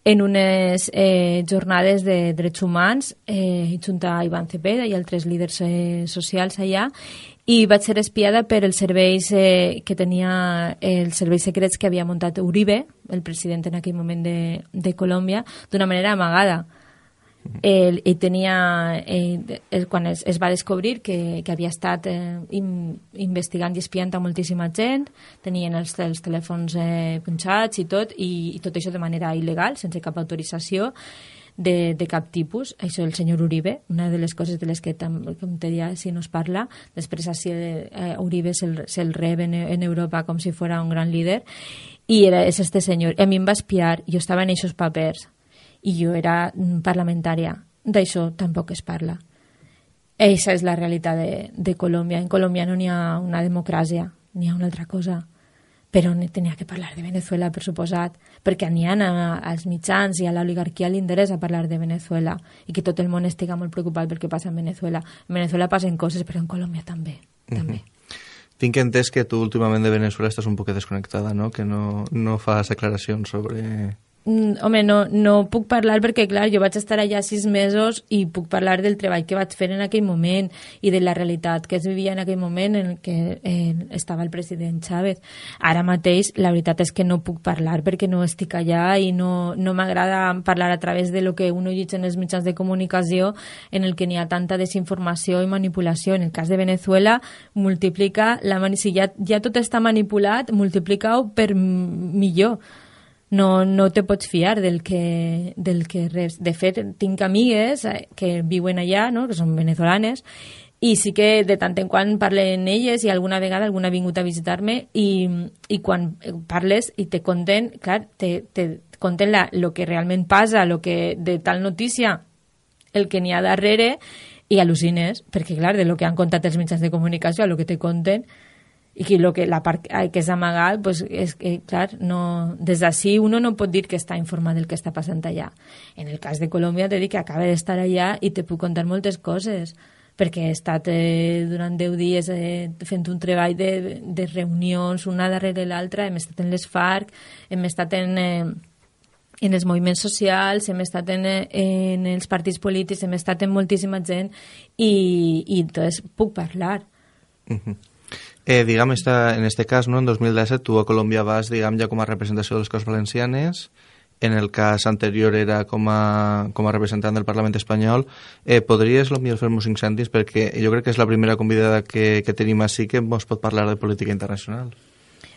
D: en unes eh, jornades de drets humans eh, junt a Iván Cepeda i altres líders eh, socials allà, i vaig ser espiada per els serveis eh, que tenia els serveis secrets que havia muntat Uribe, el president en aquell moment de, de Colòmbia, d'una manera amagada. El, i tenia, eh, el, quan es, es va descobrir que, que havia estat eh, in, investigant i espiant a moltíssima gent, tenien els, els telèfons eh, punxats i tot, i, i tot això de manera il·legal, sense cap autorització de, de cap tipus. Això el senyor Uribe, una de les coses de les que, com te deia, si no es parla, després així eh, Uribe se'l se rep en, en Europa com si fos un gran líder, i era, és este senyor. I a mi em va espiar, jo estava en aquests papers, i jo era parlamentària. D'això tampoc es parla. Eixa és la realitat de, de Colòmbia. En Colòmbia no n'hi ha una democràcia, n'hi ha una altra cosa. Però tenia que parlar de Venezuela, per suposat, perquè n'hi ha als mitjans i a l'oligarquia li interessa parlar de Venezuela i que tot el món estiga molt preocupat pel que passa en Venezuela. En Venezuela passen coses, però en Colòmbia també. Mm-hmm. també.
C: Tinc entès que tu últimament de Venezuela estàs un poc desconnectada, no? Que no, no fas declaracions sobre...
D: Mm, home, no, no puc parlar perquè, clar, jo vaig estar allà sis mesos i puc parlar del treball que vaig fer en aquell moment i de la realitat que es vivia en aquell moment en què eh, estava el president Chávez. Ara mateix, la veritat és que no puc parlar perquè no estic allà i no, no m'agrada parlar a través de lo que uno llegeix en els mitjans de comunicació en el que n'hi ha tanta desinformació i manipulació. En el cas de Venezuela, multiplica, la mani- si ja, ja tot està manipulat, multiplica-ho per millor. No, no te pots fiar del que, del que res. De fet, tinc amigues que viuen allà, no? Que són venezolanes, i sí que de tant en quant parlen elles i alguna vegada alguna ha vingut a visitar-me i, i quan parles i te conten, clar, te, te conten la, lo que realment passa, lo que de tal notícia, el que n'hi ha darrere, i al·lucines, perquè clar, de lo que han contat els mitjans de comunicació a lo que te conten, i que, lo que la part que és amagat, pues, és que, clar, no, des d'ací uno no pot dir que està informat del que està passant allà. En el cas de Colòmbia t'he dit que acaba d'estar allà i te puc contar moltes coses, perquè he estat eh, durant deu dies eh, fent un treball de, de reunions una darrere l'altra, hem estat en les FARC, hem estat en... Eh, en els moviments socials, hem estat en, en els partits polítics, hem estat en moltíssima gent i, i entonces puc parlar.
C: Uh-huh. Eh, diguem, esta, en este cas, no, en dos mil disset, tu a Colòmbia vas, diguem, ja com a representació de les Corts Valencianes, en el cas anterior era com a, com a representant del Parlament espanyol. Eh, podries, potser, fer-nos cinc cèntims, perquè jo crec que és la primera convidada que, que tenim així que ens pot parlar de política internacional.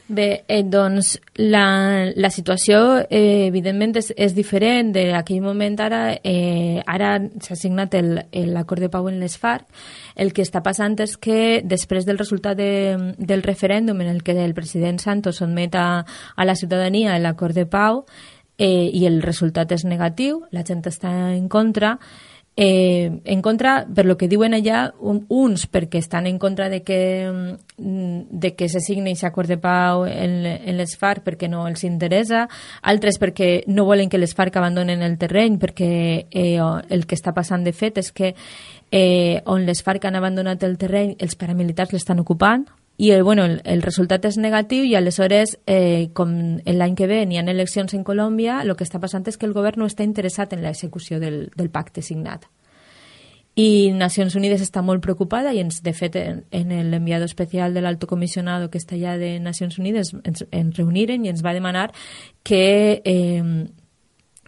D: Bé, eh, doncs la, la situació eh, evidentment és, és diferent d'aquell moment. Ara eh, ara s'ha signat l'acord de pau en les FARC. El que està passant és que després del resultat de, del referèndum en el que el president Santos sotmet a, a la ciutadania l'acord de pau eh, i el resultat és negatiu, la gent està en contra. Eh, en contra, per lo que diuen allà, un, uns perquè estan en contra de que, de que se signi aquest acord de pau en, en les FARC perquè no els interessa, altres perquè no volen que les FARC abandonen el terreny, perquè eh, el que està passant de fet és que eh, on les FARC han abandonat el terreny, els paramilitars l'estan ocupant, i el, bueno, el, el resultat és negatiu, i aleshores, eh, com l'any que ve n'hi ha eleccions en Colòmbia, el que està passant és que el govern no està interessat en l'execució del, del pacte signat. I Nacions Unides està molt preocupada, i ens, de fet, en, en l'enviado especial de l'Alto Comisionado que està allà de Nacions Unides ens, ens reuniren i ens va demanar que eh,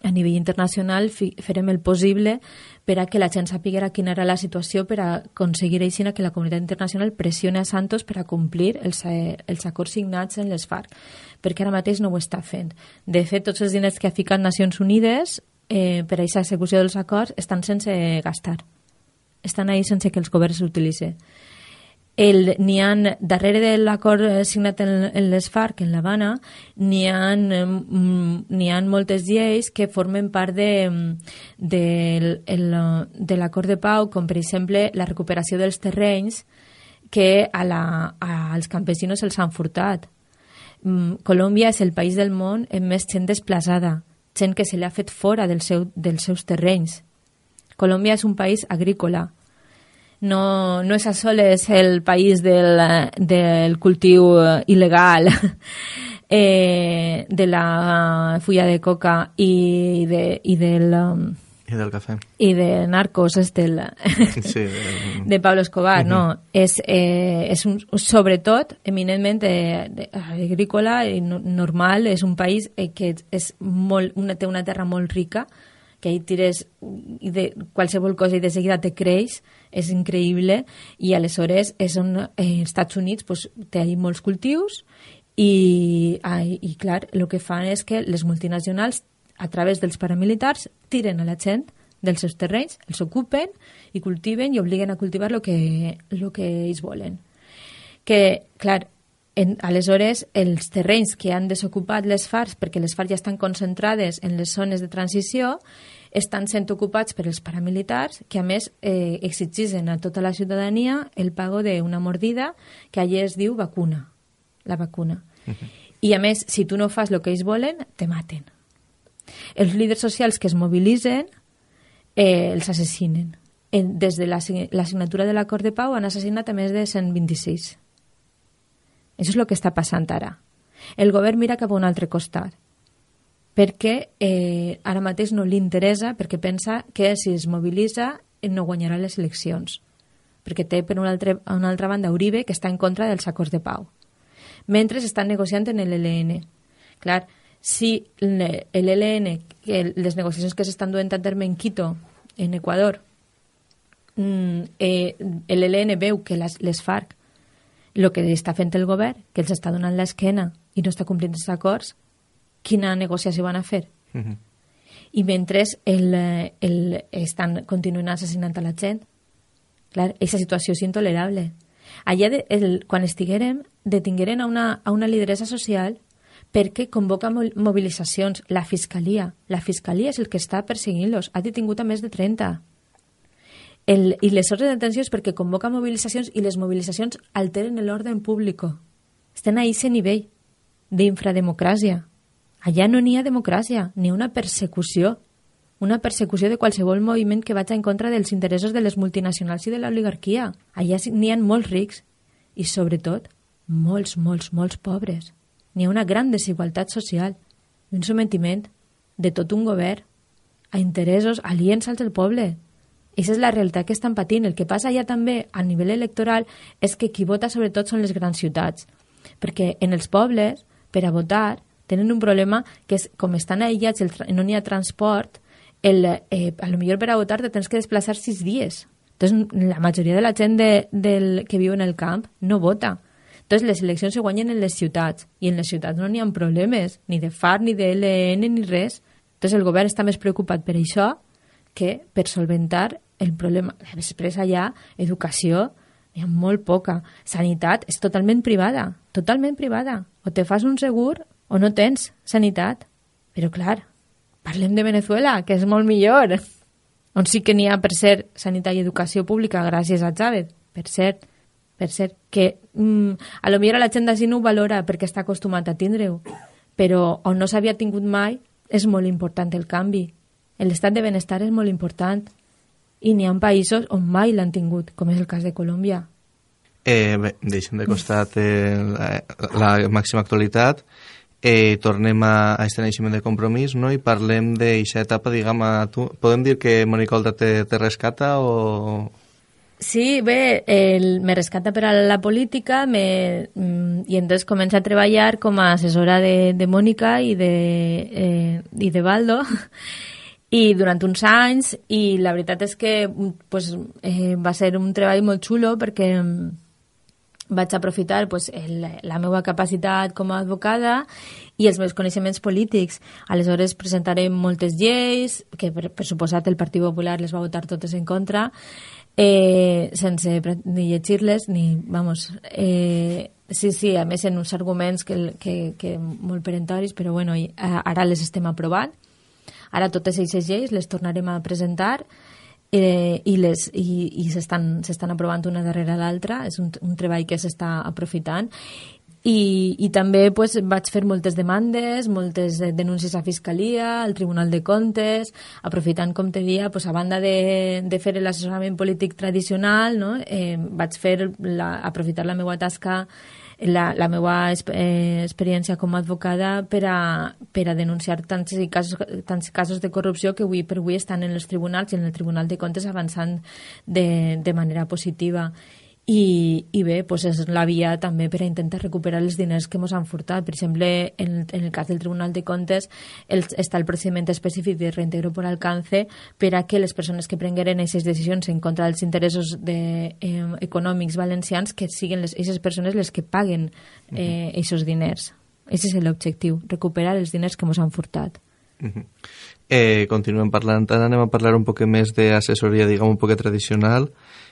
D: a nivell internacional fi, farem el possible per a que la gent sàpiga quina era la situació, per a aconseguir així que la comunitat internacional pressioni a Santos per a complir els, els acords signats en les FARC, perquè ara mateix no ho està fent. De fet, tots els diners que ha ficat Nacions Unides eh, per a aquesta execució dels acords estan sense gastar. Estan ahí sense que els governs s'utilitzen. N'hi ha, darrere de l'acord signat en, en les FARC, en l'Havana, n'hi ha, n'hi ha moltes lleis que formen part de, de, el, de l'acord de pau, com per exemple la recuperació dels terrenys que a la, a, als campesinos els han furtat. Colòmbia és el país del món amb més gent desplaçada, gent que se li ha fet fora del seu, dels seus terrenys. Colòmbia és un país agrícola. No, no és a soles el país del, del cultiu il·legal eh, de la fulla de coca i, de, i del...
C: I del cafè.
D: I de narcos, és del,
C: sí,
D: de, de Pablo Escobar, uh-huh. No. És, eh, és un, sobretot, eminentment de, de, agrícola i no, normal. És un país eh, que és molt, una, té una terra molt rica, que ahí tires i de qualsevol cosa i de seguida te creix, és increïble, i aleshores és on eh, els Estats Units pues, té ahí molts cultius i, ah, i clar, el que fan és que les multinacionals a través dels paramilitars tiren a la gent dels seus terrenys, els ocupen i cultiven i obliguen a cultivar el que, lo que ells volen. Que, clar, En, aleshores, els terrenys que han desocupat les FARC, perquè les FARC ja estan concentrades en les zones de transició, estan sent ocupats per els paramilitars, que a més eh, exigeixen a tota la ciutadania el pago d'una mordida que allà es diu vacuna, la vacuna. Uh-huh. I a més, si tu no fas el que ells volen, te maten. Els líders socials que es mobilitzen eh, els assassinen. En, des de la, la signatura de l'acord de pau han assassinat a més de cent vint-i-sis. Això és el que està passant ara. El govern mira cap a un altre costat, perquè eh, ara mateix no li interessa, perquè pensa que si es mobilitza no guanyarà les eleccions, perquè té per una altra, una altra banda Uribe, que està en contra dels acords de pau, mentre estan negociant en l'E L N. Clar, si l'E L N, les negociacions que s'estan duent a terme en Quito, en Equador, eh, l'E L N veu que les, les FARC el que està fent el govern, que els està donant l'esquena i no està complint els acords, quina negociació van a fer? Uh-huh. I mentre el, el, estan continuant assassinant a la gent, clar, aquesta situació és intolerable. Allà, de, el, quan estiguérem, detingueren a una, a una lideressa social perquè convoca mobilitzacions. La Fiscalia, la Fiscalia és el que està perseguint-los. Ha detingut a més de trenta. El, I les ordres de detenció és perquè convoca mobilitzacions i les mobilitzacions alteren l'ordre públic. Estan a aquest nivell d'infrademocràcia. Allà no n'hi ha democràcia, ni una persecució. Una persecució de qualsevol moviment que vagi en contra dels interessos de les multinacionals i de l'oligarquia. Allà n'hi ha molts rics i, sobretot, molts, molts, molts pobres. N'hi ha una gran desigualtat social i un sometiment de tot un govern a interessos aliens als del poble. Aquesta és la realitat que estan patint. El que passa allà també a nivell electoral és que qui vota sobretot són les grans ciutats, perquè en els pobles, per a votar, tenen un problema que és, com estan aïllats i no n'hi ha transport, el, eh, a lo millor per a votar te tens que desplaçar sis dies. Entonces, la majoria de la gent de, del, que viu en el camp no vota. Entonces, les eleccions se guanyen en les ciutats, i en les ciutats no n'hi ha problemes, ni de F A R, ni de L N, ni res. Entonces, el govern està més preocupat per això que per solventar el problema. Després, allà, educació, hi ha molt poca. Sanitat és totalment privada, totalment privada. O te fas un segur o no tens sanitat. Però, clar, parlem de Venezuela, que és molt millor, on sí que n'hi ha, per cert, sanitat i educació pública gràcies a Chávez, per cert, per cert, que mm, a lo millor la gent d'ací no ho valora perquè està acostumat a tindre-ho, però on no s'havia tingut mai és molt important el canvi. L'estat de benestar és molt important i n'hi ha països on mai l'han tingut, com és el cas de Colòmbia.
C: Eh, bé, deixem de costat eh, la, la màxima actualitat. Eh, tornem a, a este naixement de Compromís, no? I parlem d'aquesta etapa, diguem, a tu. Podem dir que Mònica Oltra te, te rescata o...?
D: Sí, bé, el, me rescata per a la política me, i entonces comença a treballar com a assessora de, de Mònica i de, eh, i de Baldo i durant uns anys, i la veritat és que pues, eh, va ser un treball molt xulo perquè vaig aprofitar pues, el, la meva capacitat com a advocada i els meus coneixements polítics. Aleshores presentarem moltes lleis, que per, per suposat el Partit Popular les va votar totes en contra, eh, sense ni llegir-les, ni, vamos, eh, sí, sí, a més en uns arguments que, que, que molt perentoris, però bueno, ara les estem aprovant. Ara totes aquestes lleis les tornarem a presentar eh, i, les, i, i s'estan s'estan aprovant una darrere l'altra. És un, un treball que s'està aprofitant. I, i també pues, vaig fer moltes demandes, moltes denúncies a Fiscalia, al Tribunal de Comptes, aprofitant, com te dia, pues, a banda de, de fer l'assessorament polític tradicional, no? eh, vaig fer la, aprofitar la meva tasca, la, la meva eh, experiència com a advocada per a, per a denunciar tants casos, tants casos de corrupció que avui per avui estan en els tribunals i en el Tribunal de Comptes avançant de, de manera positiva. I, i bé, pues és la via també per a intentar recuperar els diners que ens han furtat. Per exemple, en, en el cas del Tribunal de Comptes el, està el procediment específic de reintegro por alcance per a que les persones que prengueren aquestes decisions en contra dels interessos de, eh, econòmics valencians que siguin aquestes persones les que paguen eh, aquests diners. Aquest és l'objectiu, recuperar els diners que ens han furtat.
C: Uh-huh. eh, continuem parlant, ara anem a parlar un poc més d'assessoria, diguem, un poc tradicional.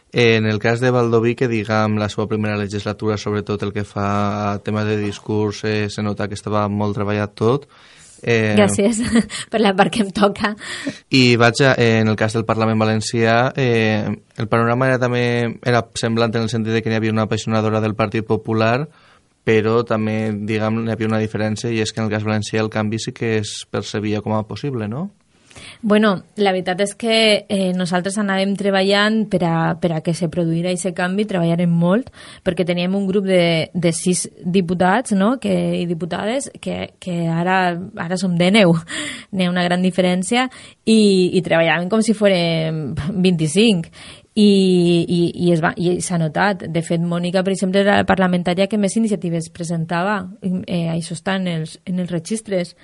C: En el cas de Baldoví, que diguem la seva primera legislatura, sobretot el que fa a tema de discurs, eh, se nota que estava molt treballat tot.
D: Eh, Gràcies per la part que em toca.
C: I vaig a, eh, en el cas del Parlament Valencià, eh, el panorama era també era semblant en el sentit de que hi havia una apassionadora del Partit Popular, però també, diguem, hi havia una diferència, i és que en el cas valencià el canvi sí que es percebia com a possible, no?
D: Bueno, la veritat és que eh, nosaltres anàvem treballant per a, per a que se produïra aquest canvi, treballarem molt, perquè teníem un grup de, de sis diputats, no?, que, i diputades que, que ara, ara som de neu. N'hi ha una gran diferència i, i treballàvem com si fórem vint-i-cinc. I, i, i, es va, i s'ha notat. De fet, Mònica, per exemple, era la parlamentària que més iniciatives presentava. Eh, això està en els, en els registres.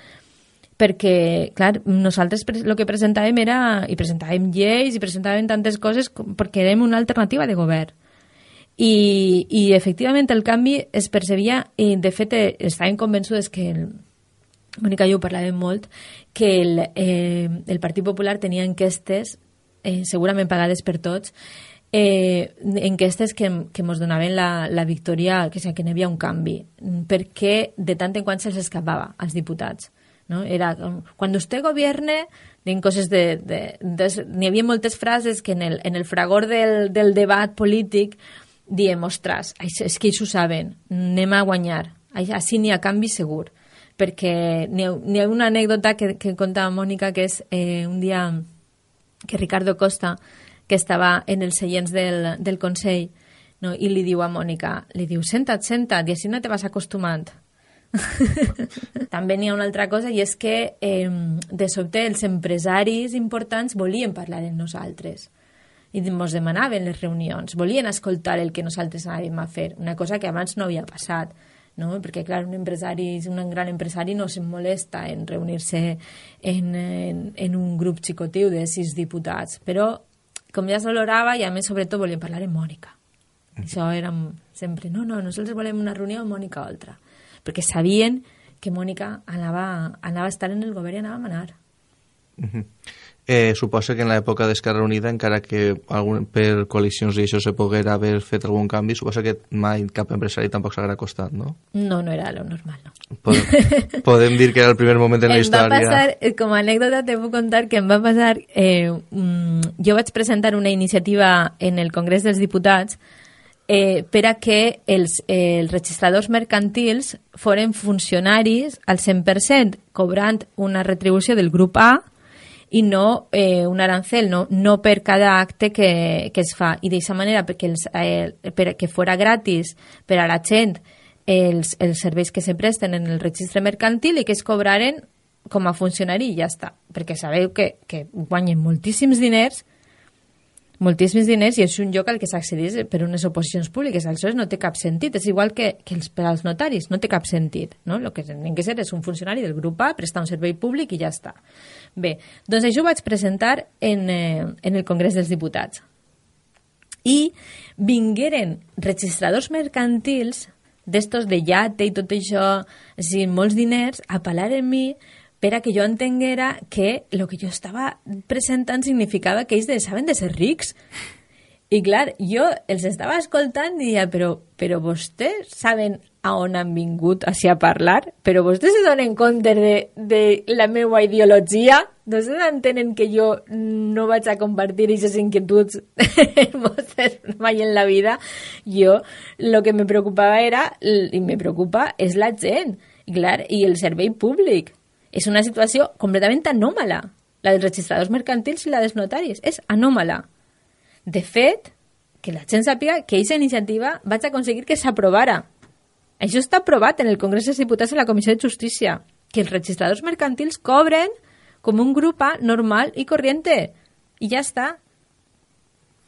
D: Perquè, clar, nosaltres el que presentàvem era, i presentàvem lleis, i presentàvem tantes coses perquè érem una alternativa de govern. I, i efectivament el canvi es percebia, i de fet estàvem convençudes que, el, Mònica i jo parlàvem molt, que el, eh, el Partit Popular tenia enquestes, eh, segurament pagades per tots, eh, enquestes que, que ens donaven la, la victòria, que, o sigui, que n'hi havia un canvi, perquè de tant en quant se'ls escapava als diputats. No? Era, quan vostè govierne, diuen coses de... de, de n'hi havia moltes frases que en el, en el fragor del, del debat polític diem, ostres, és que ells ho saben, anem a guanyar, així n'hi ha canvi segur, perquè n'hi ha, n'hi ha una anècdota que, que contava Mònica, que és eh, un dia que Ricardo Costa, que estava en els seients del, del Consell, no? I li diu a Mònica, li diu, senta't, senta't, i així no te vas acostumant. També n'hi ha una altra cosa, i és que eh, de sobte els empresaris importants volien parlar amb nosaltres i ens demanaven les reunions, volien escoltar el que nosaltres anàvem a fer, una cosa que abans no havia passat, no? Perquè clar, un empresari, un gran empresari no se'n molesta en reunir-se en, en, en un grup xicotiu de sis diputats, però com ja s'olorava, i a més sobretot volien parlar amb Mònica. Això era sempre, no, no, nosaltres volem una reunió amb Mònica Oltra, perquè sabien que Mònica anava, anava a estar en el govern i anava a manar.
C: Uh-huh. Eh, suposa que en l'època d'Esquerra Unida, encara que algun, per coalicions i això se poguera haver fet algun canvi, suposa que mai cap empresari tampoc s'haguera costat, no?
D: No, no era lo normal, no.
C: Podem, podem dir que era el primer moment en la
D: em
C: història.
D: Va passar, com a anècdota te puc contar que em va passar... Eh, mm, jo vaig presentar una iniciativa en el Congrés dels Diputats eh, per a que els, eh, els registradors mercantils foren funcionaris al cent per cent, cobrant una retribució del grup A i no eh, un arancel, no, no per cada acte que, que es fa. I d'aquesta manera, perquè els, eh, per que fora gratis per a la gent els, els serveis que se presten en el registre mercantil i que es cobraren com a funcionari i ja està. Perquè sabeu que, que guanyen moltíssims diners, moltíssims diners, i és un lloc al que s'accedeix per unes oposicions públiques. Aleshores no té cap sentit. És igual que, que els, per als notaris, no té cap sentit. No? El que tenen que ser és un funcionari del grup A, prestar un servei públic i ja està. Bé, doncs això ho vaig presentar en, eh, en el Congrés dels Diputats. I vingueren registradors mercantils d'estos de llate i tot això, així, molts diners, a parlar en mi per a que jo entenguera que el que jo estava presentant significava que ells deixaven de ser rics. I clar, jo els estava escoltant i deia, però, però vostès saben a on han vingut així a parlar? Però vostès se donen compte de, de la meva ideologia? Vostès entenen que jo no vaig a compartir aquestes inquietuds vostès mai en la vida? Jo, el que me preocupava era, i me preocupa, és la gent. I clar, i el servei públic. És una situació completament anòmala. La dels registradors mercantils i la dels notaris. És anòmala. De fet, que la gent sàpiga que aquesta iniciativa vaig aconseguir que s'aprovara. Això està aprovat en el Congrés dels Diputats a la Comissió de Justícia, que els registradors mercantils cobren com un grup A normal i corriente. I ja està.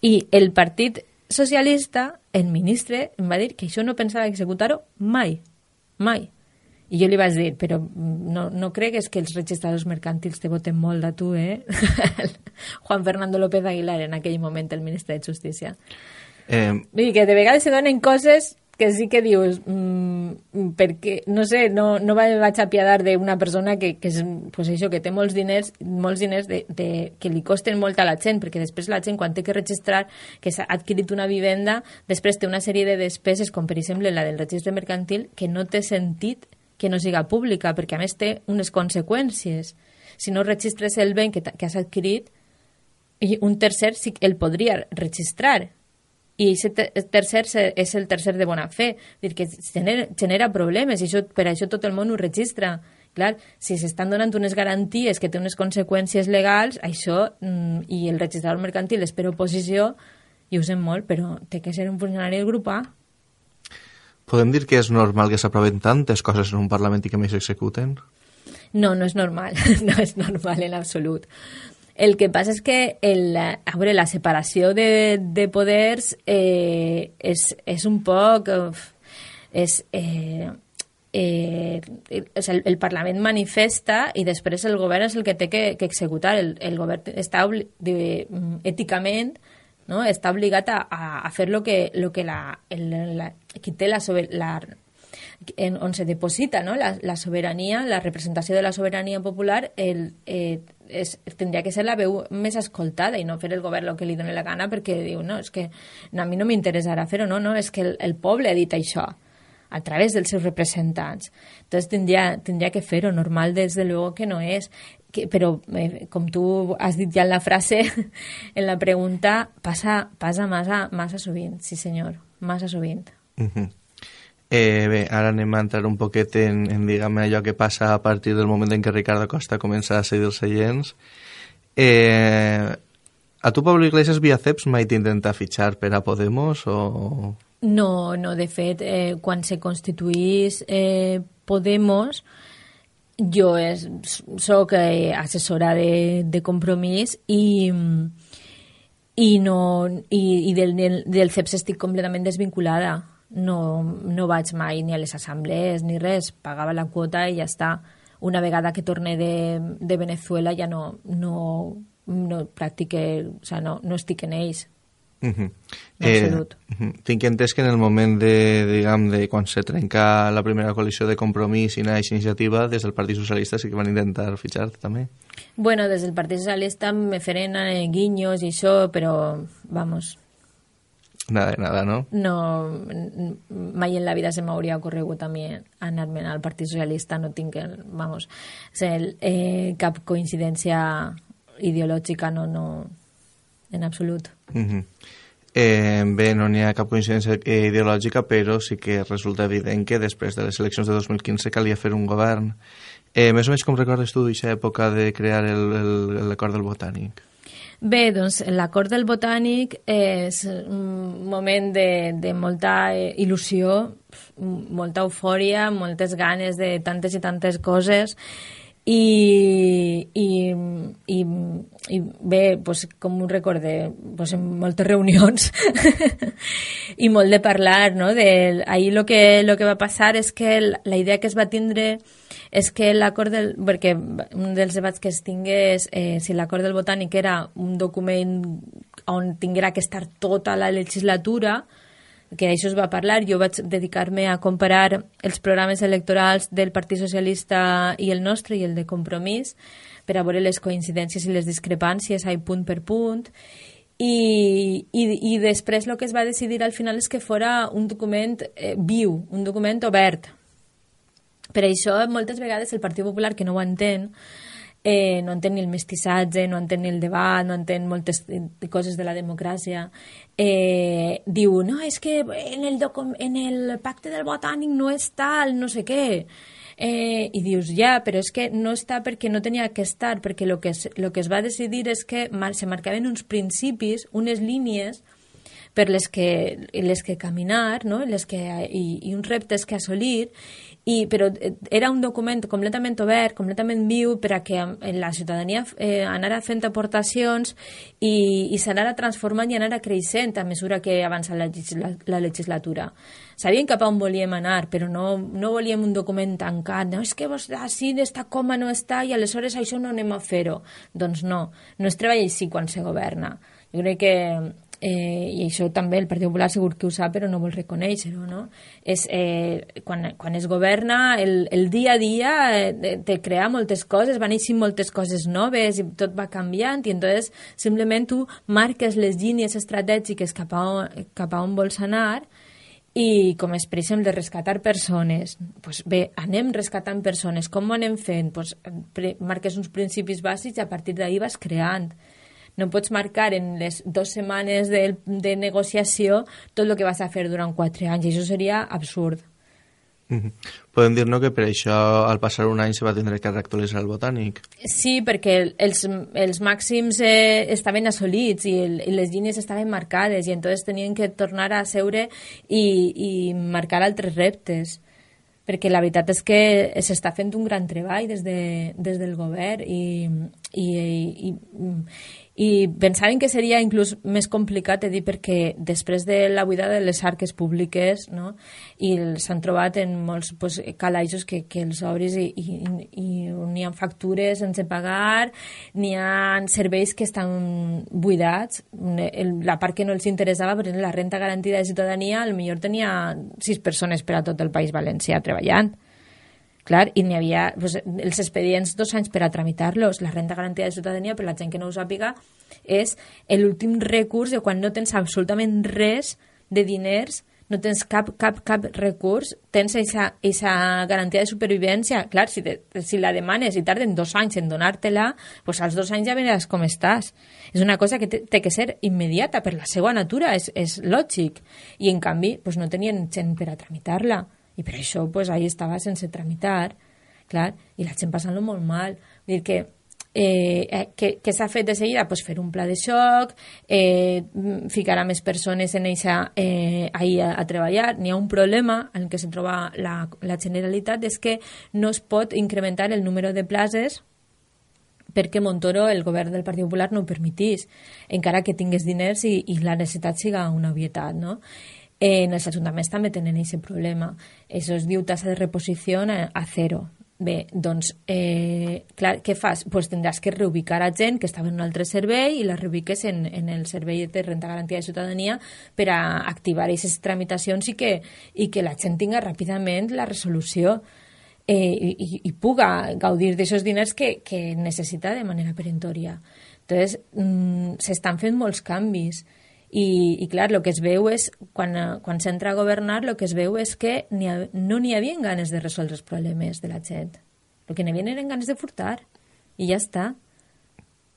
D: I el Partit Socialista, el ministre, em va dir que això no pensava executar-ho mai. Mai. I jo li vaig dir, però no, no cregues que els registradors mercantils te voten molt a tu, eh? Juan Fernando López Aguilar, en aquell moment, el ministre de Justícia. Eh... I que de vegades se donen coses que sí que dius, mmm, perquè, no sé, no, no vaig apiadar d'una persona que, que, és, pues això, que té molts diners, molts diners de, de, que li costen molt a la gent, perquè després la gent, quan té que registrar que s'ha adquirit una vivenda, després té una sèrie de despeses, com per exemple la del registre mercantil, que no té sentit que no siga pública, perquè a més té unes conseqüències. Si no registres el bé que, que has adquirit, i un tercer sí que el podria registrar. I aquest tercer és el tercer de bona fe. Dir que genera, genera problemes, i això, per això tot el món ho registra. Clar, si s'estan donant unes garanties que té unes conseqüències legals, això, mm, i el registrador mercantil és per oposició, i ho sent molt, però té que ser un funcionari del grup A.
C: Podem dir que és normal que s'aproven tantes coses en un Parlament i que més s'executen?
D: No, no és normal. No és normal en absolut. El que passa és que el, a veure, la separació de, de poders eh, és, és un poc... És, eh, eh, és el, el Parlament manifesta i després el govern és el que té que, que executar. El, el govern està de, èticament... No? Està obligat a, a fer lo que, lo que la, el, la, qui té la, la en, on se deposita, no? la, la sobirania, la representació de la sobirania popular, el, eh, és, tindria que ser la veu més escoltada i no fer el govern el que li doni la gana, perquè diu, no, és que no, a mi no m'interessarà fer-ho, no, no, és que el, el poble ha dit això a través dels seus representants. Entonces tindria, tindria que fer-ho, normal des de luego que no és. Que, però, eh, com tu has dit ja en la frase, en la pregunta, passa, passa massa, massa sovint, sí senyor, massa sovint.
C: Uh -huh. eh, bé, ara anem a entrar un poquet en, en diguem, allò que passa a partir del moment en què Ricardo Costa comença a cedir els seients. Eh, a tu, Pablo Iglesias, via C E P S, mai t'intenta fitxar per a Podemos o...?
D: No, no, de fet, eh, quan se constituís eh, Podemos, jo és, soc eh, assessora de, de Compromís i, i, no, i, i del, del C E P S estic completament desvinculada. No, no vaig mai ni a les assemblees ni res, pagava la quota i ja està. Una vegada que torne de, de Venezuela ja no, no, no practique, o sea, no, no estic en ells.
C: Uh -huh.
D: En absolut.
C: Eh, uh -huh. Tinc entès que en el moment de, diguem, de quan se trenca la primera coalició de Compromís i naix Iniciativa, des del Partit Socialista sí que van intentar fitxar-te també.
D: Bueno, des del Partit Socialista me feren eh, guinyos i això, però, vamos...
C: Nada de nada, no?
D: No, mai en la vida se m'hauria ocorregut a mi anar-me'n al Partit Socialista, no tinc, el, vamos, el, eh, cap coincidència ideològica, no, no, en absolut.
C: Uh -huh. eh, bé, no n'hi ha cap coincidència ideològica, però sí que resulta evident que després de les eleccions de dos mil quinze calia fer un govern. Eh, més o menys com recordes tu d'aquesta època de crear l'acord del Botànic?
D: Bé, doncs l'acord del Botànic és un moment de, de molta il·lusió, molta eufòria, moltes ganes de tantes i tantes coses, i, i, i, i bé, pues, com ho recorde, pues, en moltes reunions i molt de parlar, no? De, ahir lo que, lo que va passar és que la, la idea que es va tindre és que l'acord del... perquè un dels debats que es tingués eh, si l'acord del Botànic era un document on tinguera que estar tota la legislatura, que això es va parlar. Jo vaig dedicar-me a comparar els programes electorals del Partit Socialista i el nostre i el de Compromís per a veure les coincidències i les discrepàncies ahí punt per punt, i, i, i després el que es va decidir al final és que fora un document eh, viu, un document obert. Per això moltes vegades el Partit Popular, que no ho entén, Eh, no entén ni el mestissatge, no entén ni el debat, no entén moltes coses de la democràcia, eh, diu, no, és que en el, en el pacte del Botànic no està el no sé què. Eh, I dius, ja, però és que no està perquè no tenia que estar, perquè el que, es, lo que es va decidir és que se marcaven uns principis, unes línies per les que, les que caminar, no? les que, i, i uns reptes que assolir, i, però era un document completament obert, completament viu, per a que la ciutadania eh, anara fent aportacions i, i s'anara transformant i anara creixent a mesura que avança la, la, la legislatura. Sabíem cap a on volíem anar, però no, no volíem un document tancat. No, és que vos, així d'esta coma no està i aleshores això no anem a fer-ho. Doncs no, no es treballa així quan se governa. Jo crec que Eh, i això també el Partit Popular segur que ho sap però no vol reconèixer-ho, no? És, eh, quan, quan es governa el, el dia a dia eh, te crea moltes coses, van eixir moltes coses noves i tot va canviant i entonces simplement tu marques les línies estratègiques cap a on, cap a on vols anar i com és, per exemple, de rescatar persones. Pues bé, anem rescatant persones. Com ho anem fent? Pues, pre, marques uns principis bàsics i a partir d'ahir vas creant. No pots marcar en les dues setmanes de, de negociació tot el que vas a fer durant quatre anys, i això seria absurd.
C: Mm-hmm. Podem dir, no?, que per això al passar un any se va tindre que reactualitzar el Botànic.
D: Sí, perquè els, els màxims eh, estaven assolits i, el, i les línies estaven marcades i entonces tenien que tornar a seure i, i marcar altres reptes, perquè la veritat és que s'està fent un gran treball des, de, des del govern i, i, i, i i pensaven que seria inclús més complicat de dir perquè després de la buidada de les arques públiques, no? I s'han trobat en molts pues, calaixos que, que els obris i, i, i n'hi ha factures sense pagar, n'hi ha serveis que estan buidats. La part que no els interessava, per exemple, la renta garantida de ciutadania, potser tenia sis persones per a tot el País Valencià treballant. Clar, i n'hi havia pues, els expedients dos anys per a tramitar-los. La renta garantida de ciutadania, per la gent que no ho sàpiga, és l'últim recurs de quan no tens absolutament res de diners, no tens cap, cap, cap recurs, tens aquesta garantia de supervivència. Clar, si, te, si la demanes i tarden dos anys en donar-te-la, pues als dos anys ja veràs com estàs. És una cosa que té, té que ser immediata, per la seva natura, és, és lògic. I en canvi, pues, no tenien gent per a tramitar-la. I per això pues, ahí estava sense tramitar, clar, i la gent passant-lo molt mal. Vull dir que, eh, que, que s'ha fet de seguida? Pues, fer un pla de xoc, eh, ficar a més persones en eixa, eh, ahí a, a treballar. N'hi ha un problema en què se troba la, la Generalitat, és que no es pot incrementar el número de places perquè Montoro, el govern del Partit Popular, no ho permetís, encara que tingués diners i, i la necessitat siga una obvietat, no? En els ajuntaments també tenen aquest problema. Això es diu tasa de reposició a zero. Bé, doncs, eh, clar, què fas? Pues tindràs que reubicar a gent que estava en un altre servei i la reubiques en, en el servei de renda garantida de ciutadania per a activar aquestes tramitacions i que, i que la gent tinga ràpidament la resolució eh, i, i puga gaudir d'aquests diners que, que necessita de manera peremptòria. Entonces, mm, s'estan fent molts canvis i, i clar, el que es veu és, quan, quan s'entra a governar, el que es veu és que ni ha, no n'hi havia ganes de resoldre els problemes de la gent. El que n'hi havia eren ganes de furtar. I ja està.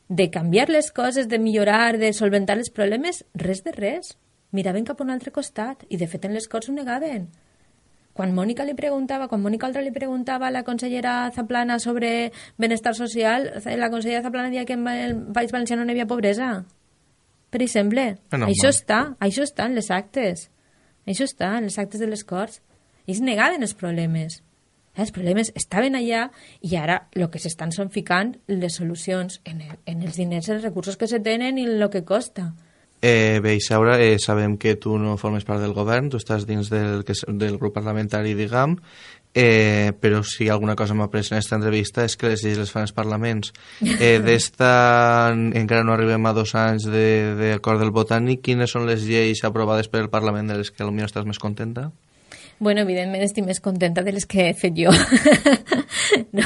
D: De canviar les coses, de millorar, de solventar els problemes, res de res. Miraven cap a un altre costat i, de fet, en les Corts ho negaven. Quan Mònica li preguntava, quan Mònica Oltra li preguntava a la consellera Zaplana sobre benestar social, la consellera Zaplana deia que en el País Valencià no hi havia pobresa. Per exemple, no, això està, això està en les actes. Això està en les actes de les Corts. Ells negaven els problemes. Els problemes estaven allà i ara el que s'estan són ficant les solucions en, el, en els diners, els recursos que se tenen i el que costa.
C: Eh, bé, Isaura, eh, sabem que tu no formes part del govern, tu estàs dins del, del grup parlamentari, diguem, eh, però si alguna cosa m'ha après en aquesta entrevista és que les lleis les fan els parlaments. Eh, d'esta encara no arribem a dos anys d'acord de, del botànic. Quines són les lleis aprovades per el Parlament de les que potser estàs més contenta?
D: Bueno, evidentment estic més contenta de les que he fet jo. No.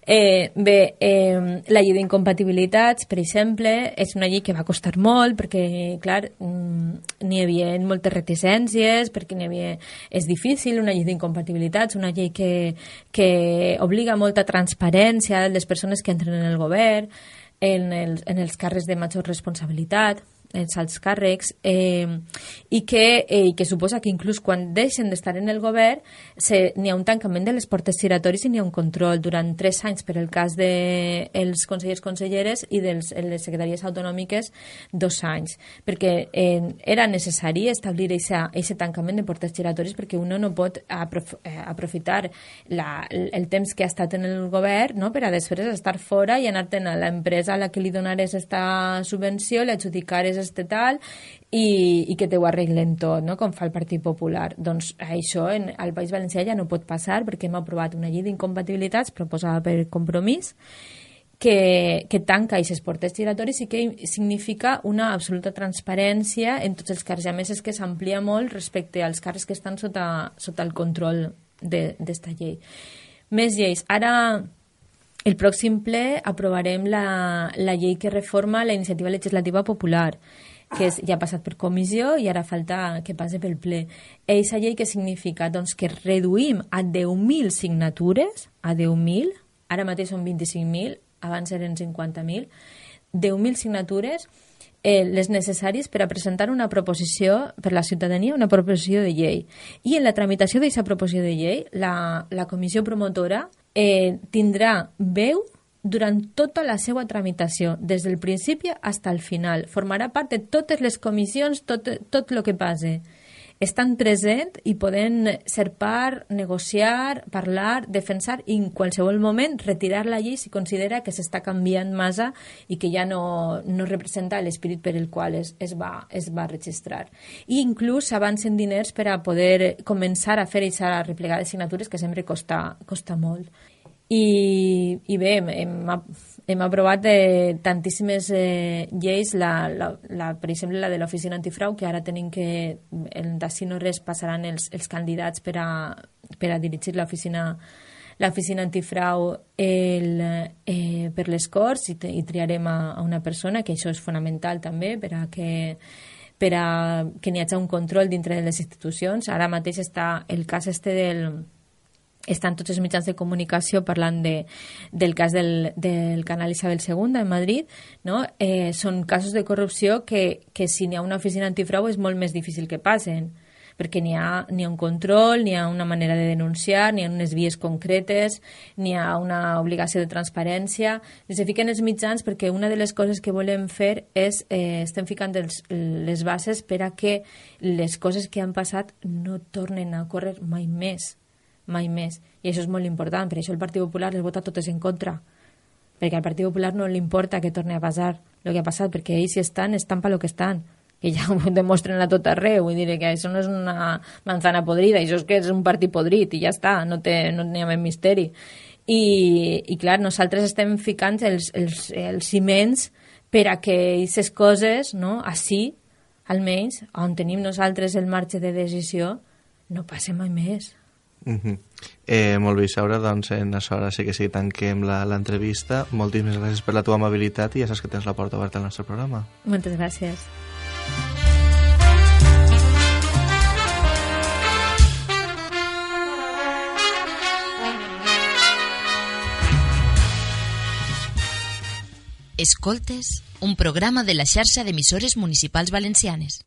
D: Eh, bé, eh, la llei d'incompatibilitats, per exemple, és una llei que va costar molt perquè, clar, n'hi havia moltes reticències, perquè n'hi havia... És difícil, una llei d'incompatibilitats, una llei que, que obliga molta transparència a les persones que entren en el govern, en els, en els càrrecs de major responsabilitat, els alts càrrecs, eh, i que, eh, que suposa que inclús quan deixen d'estar en el govern se, n'hi ha un tancament de les portes giratoris i n'hi ha un control durant tres anys per el cas dels de consellers conselleres i de les secretaries autonòmiques dos anys, perquè eh, era necessari establir aquest tancament de portes giratoris perquè uno no pot aprof eh, aprofitar la, el temps que ha estat en el govern, no?, per a després estar fora i anar-te'n a l'empresa a la que li donares esta subvenció, l'adjudicares este tal i, i que te ho arreglen tot, no?, com fa el Partit Popular. Doncs això en, al País Valencià ja no pot passar perquè hem aprovat una llei d'incompatibilitats proposada per Compromís que, que tanca aquestes portes giratoris i que significa una absoluta transparència en tots els càrrecs. A més, és que s'amplia molt respecte als càrrecs que estan sota, sota el control d'esta llei. Més lleis. Ara, el pròxim ple aprovarem la, la llei que reforma la iniciativa legislativa popular, que és, ja ha passat per comissió i ara falta que passi pel ple. Eixa llei que significa? Doncs que reduïm a deu mil signatures, a deu mil, ara mateix són vint-i-cinc mil, abans eren cinquanta mil, deu mil signatures, eh, les necessàries per a presentar una proposició per la ciutadania, una proposició de llei. I en la tramitació d'aquesta proposició de llei, la, la comissió promotora Eh, tindrà veu durant tota la seva tramitació, des del principi fins al final. Formarà part de totes les comissions, tot, tot el que passe. Estan presents i poden ser part, negociar, parlar, defensar i en qualsevol moment retirar la llei si considera que s'està canviant massa i que ja no, no representa l'esperit per el qual es, es, va, es va registrar. I inclús s'avancen diners per a poder començar a fer aquesta replegada de signatures que sempre costa, costa molt. I, i bé, hem, hem aprovat eh, tantíssimes eh, lleis, la, la, la, per exemple la de l'oficina antifrau, que ara tenim que d'ací no res passaran els, els candidats per a, per a dirigir l'oficina l'oficina antifrau el, eh, per les Corts i, te, i triarem a, a una persona, que això és fonamental també per a que per a que n'hi hagi un control dintre de les institucions. Ara mateix està el cas este del estan tots els mitjans de comunicació parlant de, del cas del, del canal Isabel segunda en Madrid, no? Eh, són casos de corrupció que, que si n'hi ha una oficina antifrau és molt més difícil que passen, perquè n'hi ha, n'hi ha un control, n'hi ha una manera de denunciar, n'hi ha unes vies concretes, n'hi ha una obligació de transparència. Es fiquen els mitjans perquè una de les coses que volem fer és, eh, estem ficant els, les bases per a que les coses que han passat no tornen a córrer mai més. mai més, i això és molt important. Per això el Partit Popular les vota totes en contra, perquè al Partit Popular no li importa que torni a passar el que ha passat, perquè ells si estan, estan per lo que estan, que ja ho demostren a tot arreu, vull dir que això no és una manzana podrida, això és que és un partit podrit i ja està, no té, no n'hi ha més misteri. I, i clar, nosaltres estem ficant els, els, els ciments per a que aquestes coses, no, així, almenys, on tenim nosaltres el marge de decisió, no passe mai més.
C: Uh -huh. eh, molt bé, Isaura, doncs en això ara sí que sí tanquem l'entrevista. Moltíssimes gràcies per la teva amabilitat i ja saps que tens la porta oberta al nostre programa.
D: Moltes gràcies.
A: Escoltes un programa de la xarxa d'emissores municipals valencianes.